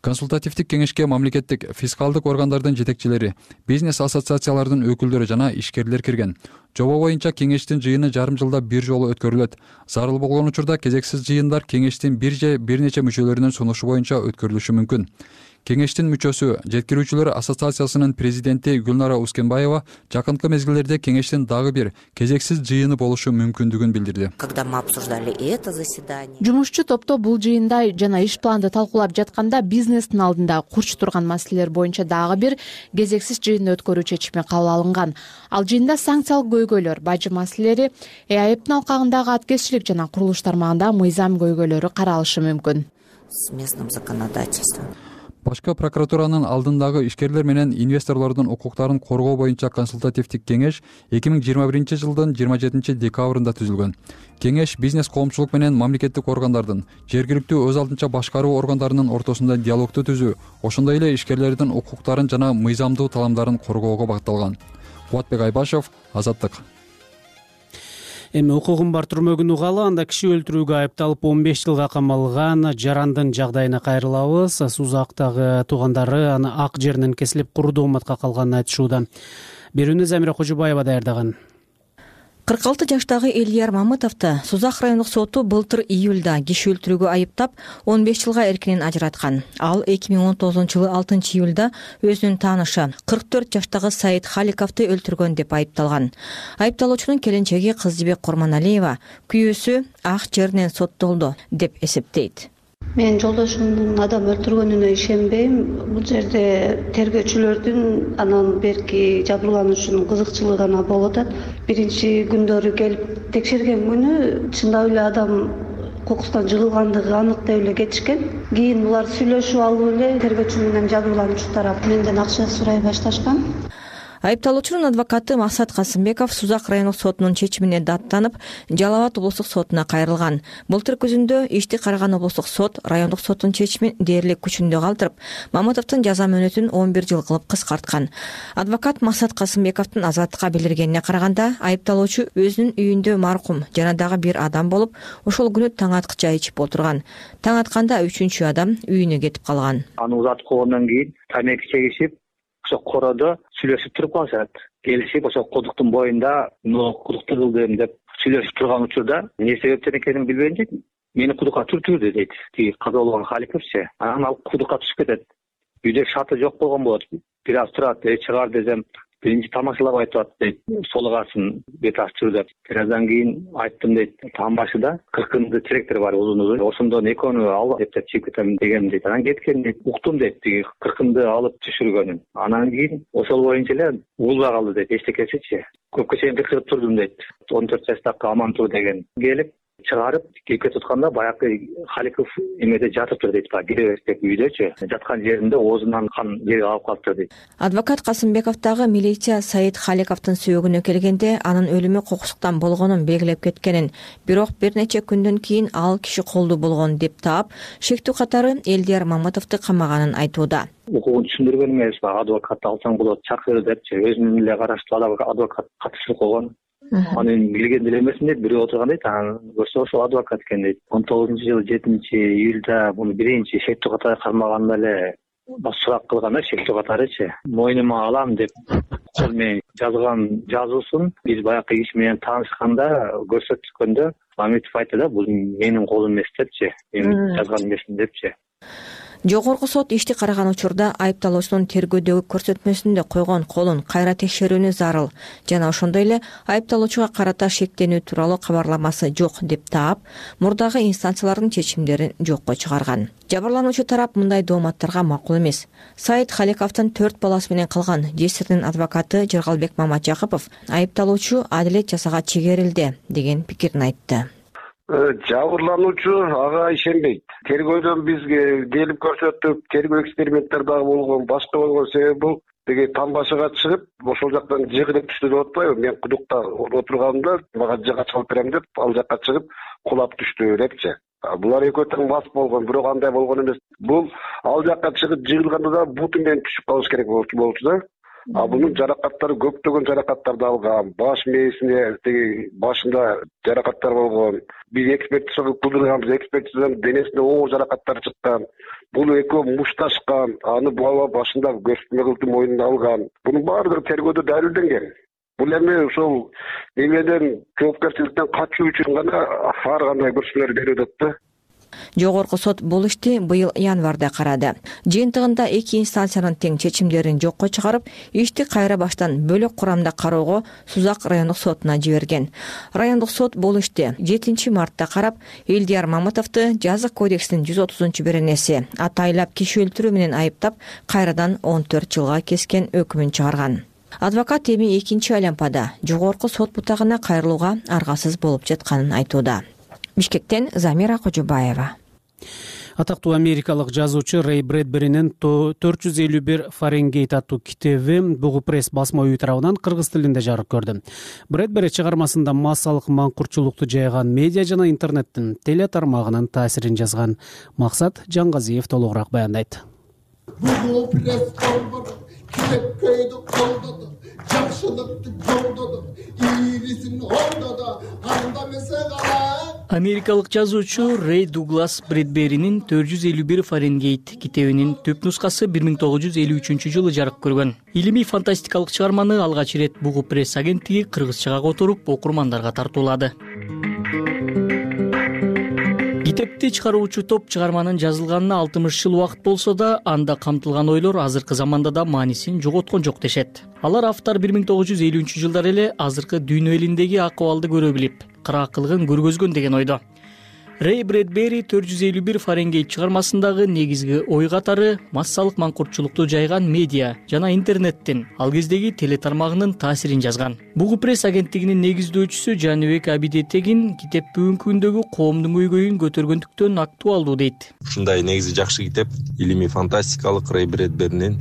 Консультативдик кеңешке мамлекеттик фискалдык органдардын жетекчилери, бизнес ассоциациялардын өкүлдөрү жана ишкерлер кирген. Жоба боюнча кеңештин жыйыны жарым жылда бир жолу өткөрүлөт. Зарыл болгон учурда кезексиз жыйындар кеңештин бир же бир нече мүчөлөрүнүн сунушу боюнча өткөрүлүшү мүмкүн. Кеңештин мүчөсү, жеткирүүчүлөр ассоциациясынын президенти Гүлнара Ускенбаева жакынкы мезгилдерде кеңештин дагы бир кезексиз жыйыны болушу мүмкүндүгүн билдирди. Когда мы обсуждали это заседание, жумушчу топто бул жыйында жана иш планды талкуулап жатканда бизнестин алдында курч турган маселелер боюнча дагы бир кезексиз жыйын өткөрүү чечими кабыл алынган. Ал жыйында санкциялык көйгөйлөр, бажы маселелери, ЭАЭптин алкагындагы аткезчилик жана курулуш тармагында мыйзам көйгөйлөрү каралышы мүмкүн. С местным законодательством. Башкы прокуратуранын алдындагы ишкерлер менен инвесторлордун укуктарын коргоо боюнча консультативдик кеңеш эки миң жыйырма биринчи жылдын жыйырма жетинчи декабрында түзүлгөн. Кеңеш бизнес коомчулук менен мамлекеттик органдардын, жергиликтүү өз алдынча башкаруу органдарынын ортосунда диалогду түзүү, ошондой эле ишкерлердин укуктарын жана мыйзамдуу таламдарын коргоого багытталган. Кубатбек Айбашев, Азаттык. Эми укугун бар түрмөгүн угалы, анда киши өлтүрүүгө айыпталып он беш жылга камалган Жарандын жагдайына кайрылабыз. Сузактагы туугандары аны ак жеринен кесилип курдуу уматка калганын айтышууда. Берүүнү Замира Кожубаева даярдаган. кырк алты жаштагы Элдияр Мамытовду Сузак райондук соту былтыр июлда киши өлтүрүүгө айыптап он беш жылга эркинен ажыраткан. Ал эки миң он тогузунчу жылы алтынчы июлда өзүнүн таанышы кырк төрт жаштагы Саид Халиковду өлтүргөн деп айыпталган. Айыпталуучунун келинчеги Кыздыбек Курманалиева күйөөсү ак жеринен соттолду деп эсептейт. Мен жолдошумдун адам өлтүргөнүнө ишенбейм. Бул жерде тергөөчүлөрдүн анан берки жабырлануучунун кызыкчылыгы гана болуп атат. Биринчи күндөрү келип текшерген күнү чындап эле адам кокустан жыгылгандыгы анык деп эле кетишкен. Кийин булар сүйлөшүп алып эле тергөөчү менен жабырлануучу тарап менден акча сурай башташкан. Айыпталуучунун адвокаты Максат Касымбеков Сузак райондук сотунун чечимине даттанып, Жалал Абад облустук сотуна кайрылган. Былтыр күзүндө ишти караган облустук сот райондук соттун чечимин дээрлик күчүндө калтырып, Мамытовдун жаза мөөнөтүн он бир жыл кылып кыскарткан. Адвокат Максат Касымбековдун азаттыкка билдиргенине караганда, айыпталуучу өзүнүн үйүндө маркум жана дагы бир адам болуп, ошол күнү таң аткыча ичип отурган. Таң атканда үчүнчү адам үйүнө кетип калган. Аны узатып койгондон кийин тамеки чегишип, ошо кородо сүйлөшүп туруп калышат. Келишип ошо кудуктун боюнда мына кудукту кылдым деп сүйлөшүп турган учурда эмне себептен экенин билбейинче мени кудукка түртүрдү дейт. Тиги каза болгон Халиковчу. Анан ал кудукка түшүп кетет. Үйдө шаты жок болгон болот. Бир аз турат, э чыгар десем, биринчи тамашалабай турат дейт. Солугасын бет ачыр деп. Бир аздан кийин айттым дейт. Таң башыда кыркынды теректер бар узун узун. Ошондон экөөнү ал деп чыгып кетем дегем дейт. Анан кеткен дейт. Уктум дейт. Тиги кыркынды алып түшүргөнүн. Анан кийин ошол боюнча эле угулбай калды дейт. Эчтекесичи. Көпкө чейин кыркырып турдум дейт. он төрт жаштагы Амантуу деген келип чыгарып кепке тутканда баягы Халиков эмеде жатыптыр дейт. Киребестек үйдөчү жаткан жеринде оозунан кан жерге калып калыптыр дейт. Адвокат Касымбековдагы милиция Саид Халиковдун сөөгүнө келгенде анын өлүмү кокустуктан болгонун белгилеп кеткенин, бирок бир нече күндөн кийин ал киши колдуу болгон деп таап, шектүү катары Элдияр Мамытовду камаганын айтууда. Укугун түшүндүргөн эмес, адвокатты алсаң болот, чакыр депчи өзүнүн эле караштуу адвокат катышып койгон. Аны билген деле эмесмин дейт, бирөө отурган дейт, анан көрсө ошол адвокат экен дейт. он тогузунчу жылы жетинчи июлда муну биринчи шектүү катары кармаганда эле сурак кылган да, шектүү катарычы. Мойнума алам деп кол менен жазган жазуусун биз баягы иш менен таанышканда көрсөткөндө Мамитов айтты да, бул менин колум эмес депчи, мен жазган эмесмин депчи. Жогорку сот ишти караган учурда айыпталуучунун тергөөдөгү көрсөтмөсүндө койгон колун кайра текшерүүнү зарыл жана ошондой эле айыпталуучуга карата шектенүү тууралуу кабарламасы жок деп таап, мурдагы инстанциялардын чечимдерин жокко чыгарган. Жабырлануучу тарап мындай дооматтарга макул эмес. Саид Халиковдун төрт баласы менен калган жесирдин адвокаты Жыргалбек Маматжакыпов айыпталуучу адилет жасаага чегерилди деген пикирин айтты. Жабырлануучу ага ишенбейт. Тергөөдөн бизге келип көрсөтүп, тергөө эксперименттер дагы болгон, башка болгон себеби бул деги таң башыга чыгып, ошол жактан жыгылып түштү деп атпайбы? Мен кудукта отурганымда мага жыга чалып берем деп, ал жакка чыгып кулап түштү депчи. Булар экөө тең мас болгон, бирок андай болгон эмес. Бул ал жакка чыгып жыгылганда да буту менен түшүп калыш керек болчу да. А бунун жаракаттары көптөгөн жаракаттарды алган, баш мээсине теги башында жаракаттар болгон. Биз экспертизага кылдырганбыз, экспертизадан денесинде оор жаракаттар чыккан. Бул экөө мушташкан, аны бала башында көрсөтмө кылды мойнуна алган. Бунун баардыгы тергөөдө далилденген. Бул эми ошол эмеден жоопкерчиликтен качуу үчүн гана ар кандай көрсөтмөлөр берип атат да. Жогорку сот бул ишти быйыл январда карады. Жыйынтыгында эки инстанциянын тең чечимдерин жокко чыгарып, ишти кайра баштан бөлөк курамда кароого Сузак райондук сотуна жиберген. Райондук сот бул ишти жетинчи мартта карап, Элдияр Мамытовду жазык кодексинин жүз отузунчу беренеси атайлап киши өлтүрүү менен айыптап, кайрадан он төрт жылга кескен өкүмүн чыгарган. Адвокат эми экинчи айлампада жогорку сот бутагына кайрылууга аргасыз болуп жатканын айтууда. Бишкектен Замира Кожобаева. Атактуу америкалык жазуучу Рэй Брэдберинин төрт жүз элүү бир Фаренгейт аттуу китеби Бугу пресс басма үйү тарабынан кыргыз тилинде жарык көрдү. Брэдбери чыгармасында массалык маңкуртчулукту жайган медиа жана интернеттин теле тармагынын таасирин жазган. Максат Жаңгазиев толугураак баяндайт. Бугу пресс колдоду, китепкөйдү колдоду, жакшылыкты жолдоду, ийрисин ордоду, анда эмесе калай. Америкалык жазуучу Рэй Дуглас Брэдберинин төрт жүз элүү бир Фаренгейт китебинин түп нускасы бир миң тогуз жүз элүү үчүнчү жылы жарык көргөн. Илимий фантастикалык чыгарманы алгач ирет Бугу пресс агенттиги кыргызчага которуп, окурмандарга тартуулады. Китепти чыгаруучу топ чыгарманын жазылганына алтымыш жыл убакыт болсо да, анда камтылган ойлор азыркы заманда да маанисин жоготкон жок дешет. Алар автор бир миң тогуз жүз элүүнчү жылдары эле азыркы дүйнө элиндеги акыбалды көрө билип, кыраакылыгын көргөзгөн деген ойдо. Рэй Брэдбери төрт жүз элүү бир Фаренгейт чыгармасындагы негизги ой катары массалык маңкуртчулукту жайган медиа жана интернеттин ал кездеги теле тармагынын таасирин жазган. Бугу пресс агенттигинин негиздөөчүсү Жаныбек Абидетегин китеп бүгүнкү күндөгү коомдун көйгөйүн көтөргөндүктөн актуалдуу дейт. Ушундай негизи жакшы китеп, илимий фантастикалык Рэй Брэдберинин.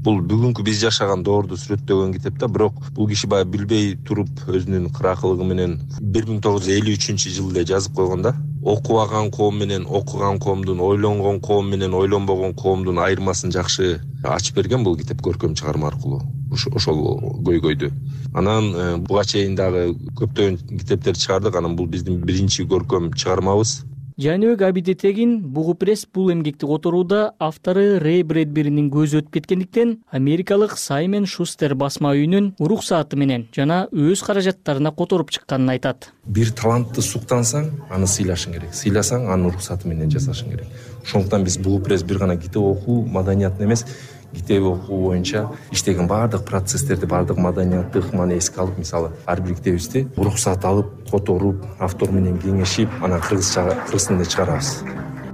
Бул бүгүнкү биз жашаган доорду сүрөттөгөн китеп да, бирок бул киши баягы билбей туруп өзүнүн кыраакылыгы менен бир миң тогуз жүз элүү үчүнчү жылда жазып койгон да. Окубаган коом менен окуган коомдун, ойлонгон коом менен ойлонбогон коомдун айырмасын жакшы ачып берген бул китеп көркөм чыгарма аркылуу. Ошол көйгөйдү. Анан буга чейин дагы көптөгөн китептер чыгардык. Анан бул биздин биринчи көркөм чыгармабыз. Жаныбек Абидетегин Бугу пресс бул эмгекти которууда автору Рэй Брэдберинин көзү өтүп кеткендиктен америкалык Саймон Шустер басма үйүнүн уруксааты менен жана өз каражаттарына которуп чыкканын айтат. Бир талантты суктансаң, аны сыйлашың керек. Сыйласаң, аны уруксааты менен жасашың керек. Ошондуктан биз Бугу пресс бир гана китеп окуу маданиятын эмес, китеп окуу боюнча иштеген баардык процесстерди, баардык маданиятты ыкманы эске алып, мисалы, ар бир китебибизди уруксаат алып, которуп, автор менен кеңешип, анан кыргызча кыргыз тилинде чыгарабыз.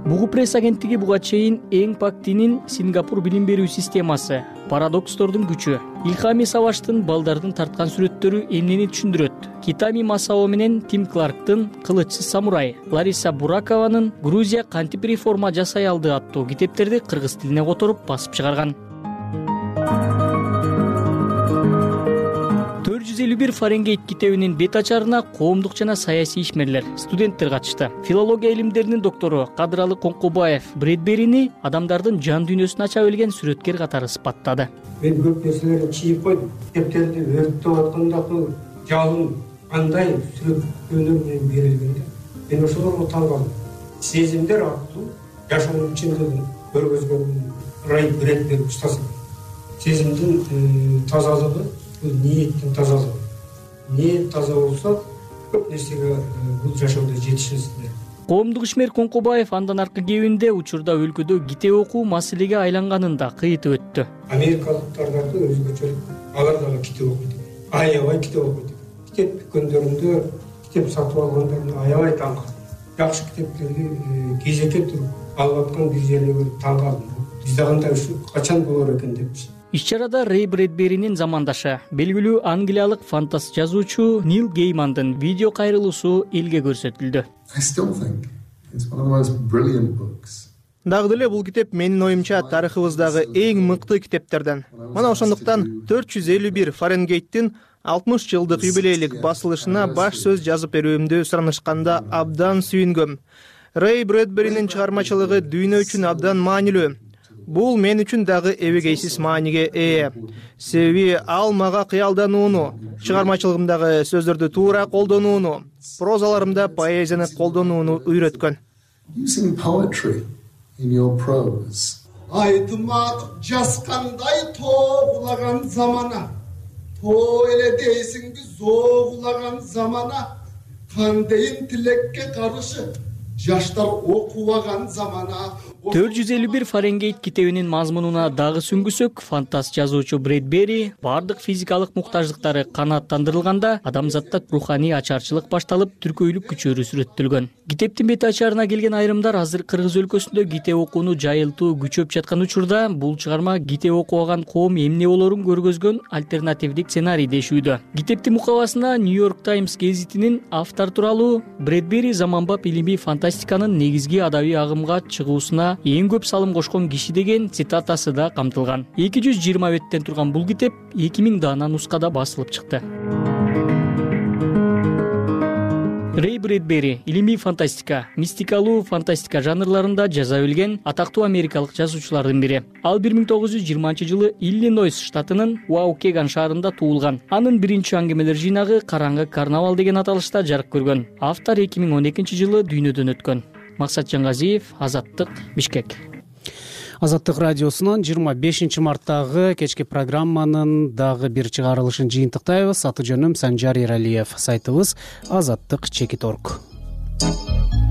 Бугу пресс агенттиги буга чейин эң пактинин Сингапур билим берүү системасы, парадокстордун күчү, Илхами Саваштын балдардын тарткан сүрөттөрү эмнени түшүндүрөт, Китами Масао менен Тим Кларктын Кылычсыз самурай, Лариса Буракованын Грузия кантип реформа жасай алды аттуу китептерди кыргыз тилине которуп басып чыгарган. төрт жүз элүү бир Фаренгейт китебинин бет ачарына коомдук жана саясий ишмерлер, студенттер катышты. Филология илимдеринин доктору Кадыралы Коңкубаев Брэдберини адамдардын жан дүйнөсүн ача билген сүрөткер катары сыпаттады. Мен көп нерселерди чийип койдум. Китептерди өрттөп аткандагы жалын кандай сүрөттөнөр менен берилгенде, мен ошолорго таң калдым. Сезимдер аркылуу жашоонун чындыгын көргөзгөн Рэй Брэдбери устасы. Сезимдин тазалыгы, ниеттин тазалыгы. Ниет таза болсо, көп нерсеге бул жашоодо жетишесиздер. Коомдук ишмер Коңкубаев андан аркы кебинде учурда өлкөдө китеп окуу маселеге айланганын да кыйтып өттү. Америкалыктар дагы өзгөчөлүк, алар дагы китеп окуйт. Аябай китеп окуйт. Китеп дүкөндөрүндө китеп сатып алгандарын аябай таң калдым. Жакшы китептерди кезекке туруп алып аткан бир жерге көрүп таң калдым. Бизде кандай ушу качан болор экен депчи. Иш-чарада Рэй Брэдберинин замандашы, белгилүү англиялык фантаст жазуучу Нил Геймандын видео кайрылуусу элге көрсөтүлдү. Дагы деле бул китеп менин оюмча тарыхыбыздагы эң мыкты китептерден. Мына ошондуктан төрт жүз элүү бир Фаренгейттин алтымыш жылдык юбилейлик басылышына баш сөз жазып берүүмдү суранышканда абдан сүйүнгөм. Рэй Брэдберинин чыгармачылыгы дүйнө үчүн абдан маанилүү. Бул мен үчүн дагы эбегейсиз мааниге ээ. Себеби ал мага кыялданууну, чыгармачылыгымдагы сөздөрдү туура колдонууну, прозаларымда поэзияны колдонууну үйрөткөн. Айтымадык жаскандай тоогулаган замана, тоо эле дейсиңби зоогулаган замана, кандайын тилекке каршы жаштар окубаган замана. төрт жүз элүү бир Фаренгейт китебинин мазмунуна дагы сүңгүсөк, фантаст жазуучу Брэдбери бардык физикалык муктаждыктары канааттандырылганда адамзатта руханий ачарчылык башталып, түркөйлүк күчөрү сүрөттөлгөн. Китептин бет ачарына келген айрымдар азыр Кыргыз өлкөсүндө китеп окууну жайылтуу күчөп жаткан учурда бул чыгарма китеп окубаган коом эмне болорун көргөзгөн альтернативдик сценарий дешүүдө. Китептин мукабасына Нью-Йорк Таймс гезитинин автор тууралуу Брэдбери заманбап илимий фантастиканын негизги адабий агымга чыгуусуна эң көп салым кошкон киши деген цитатасы да камтылган. эки жүз жыйырма беттен турган бул китеп эки миң даана нускада басылып чыкты. Рэй Брэдбери илимий фантастика, мистикалуу фантастика жанрларында жаза билген атактуу америкалык жазуучулардын бири. Ал бир миң тогуз жүз жыйырманчы жылы Иллинойс штатынын Уаукеган шаарында туулган. Анын биринчи аңгемелер жыйнагы Караңгы карнавал деген аталышта жарык көргөн. Автор эки миң он экинчи жылы дүйнөдөн өткөн. Максат Жаңгазиев, Азаттык, Бишкек. Азаттык радиосунун жыйырма бешинчи марттагы кечки программанын дагы бир чыгарылышын жыйынтыктайбыз. Аты жөнүм Санжар Эралиев. Сайтыбыз азаттык чекит точка орг.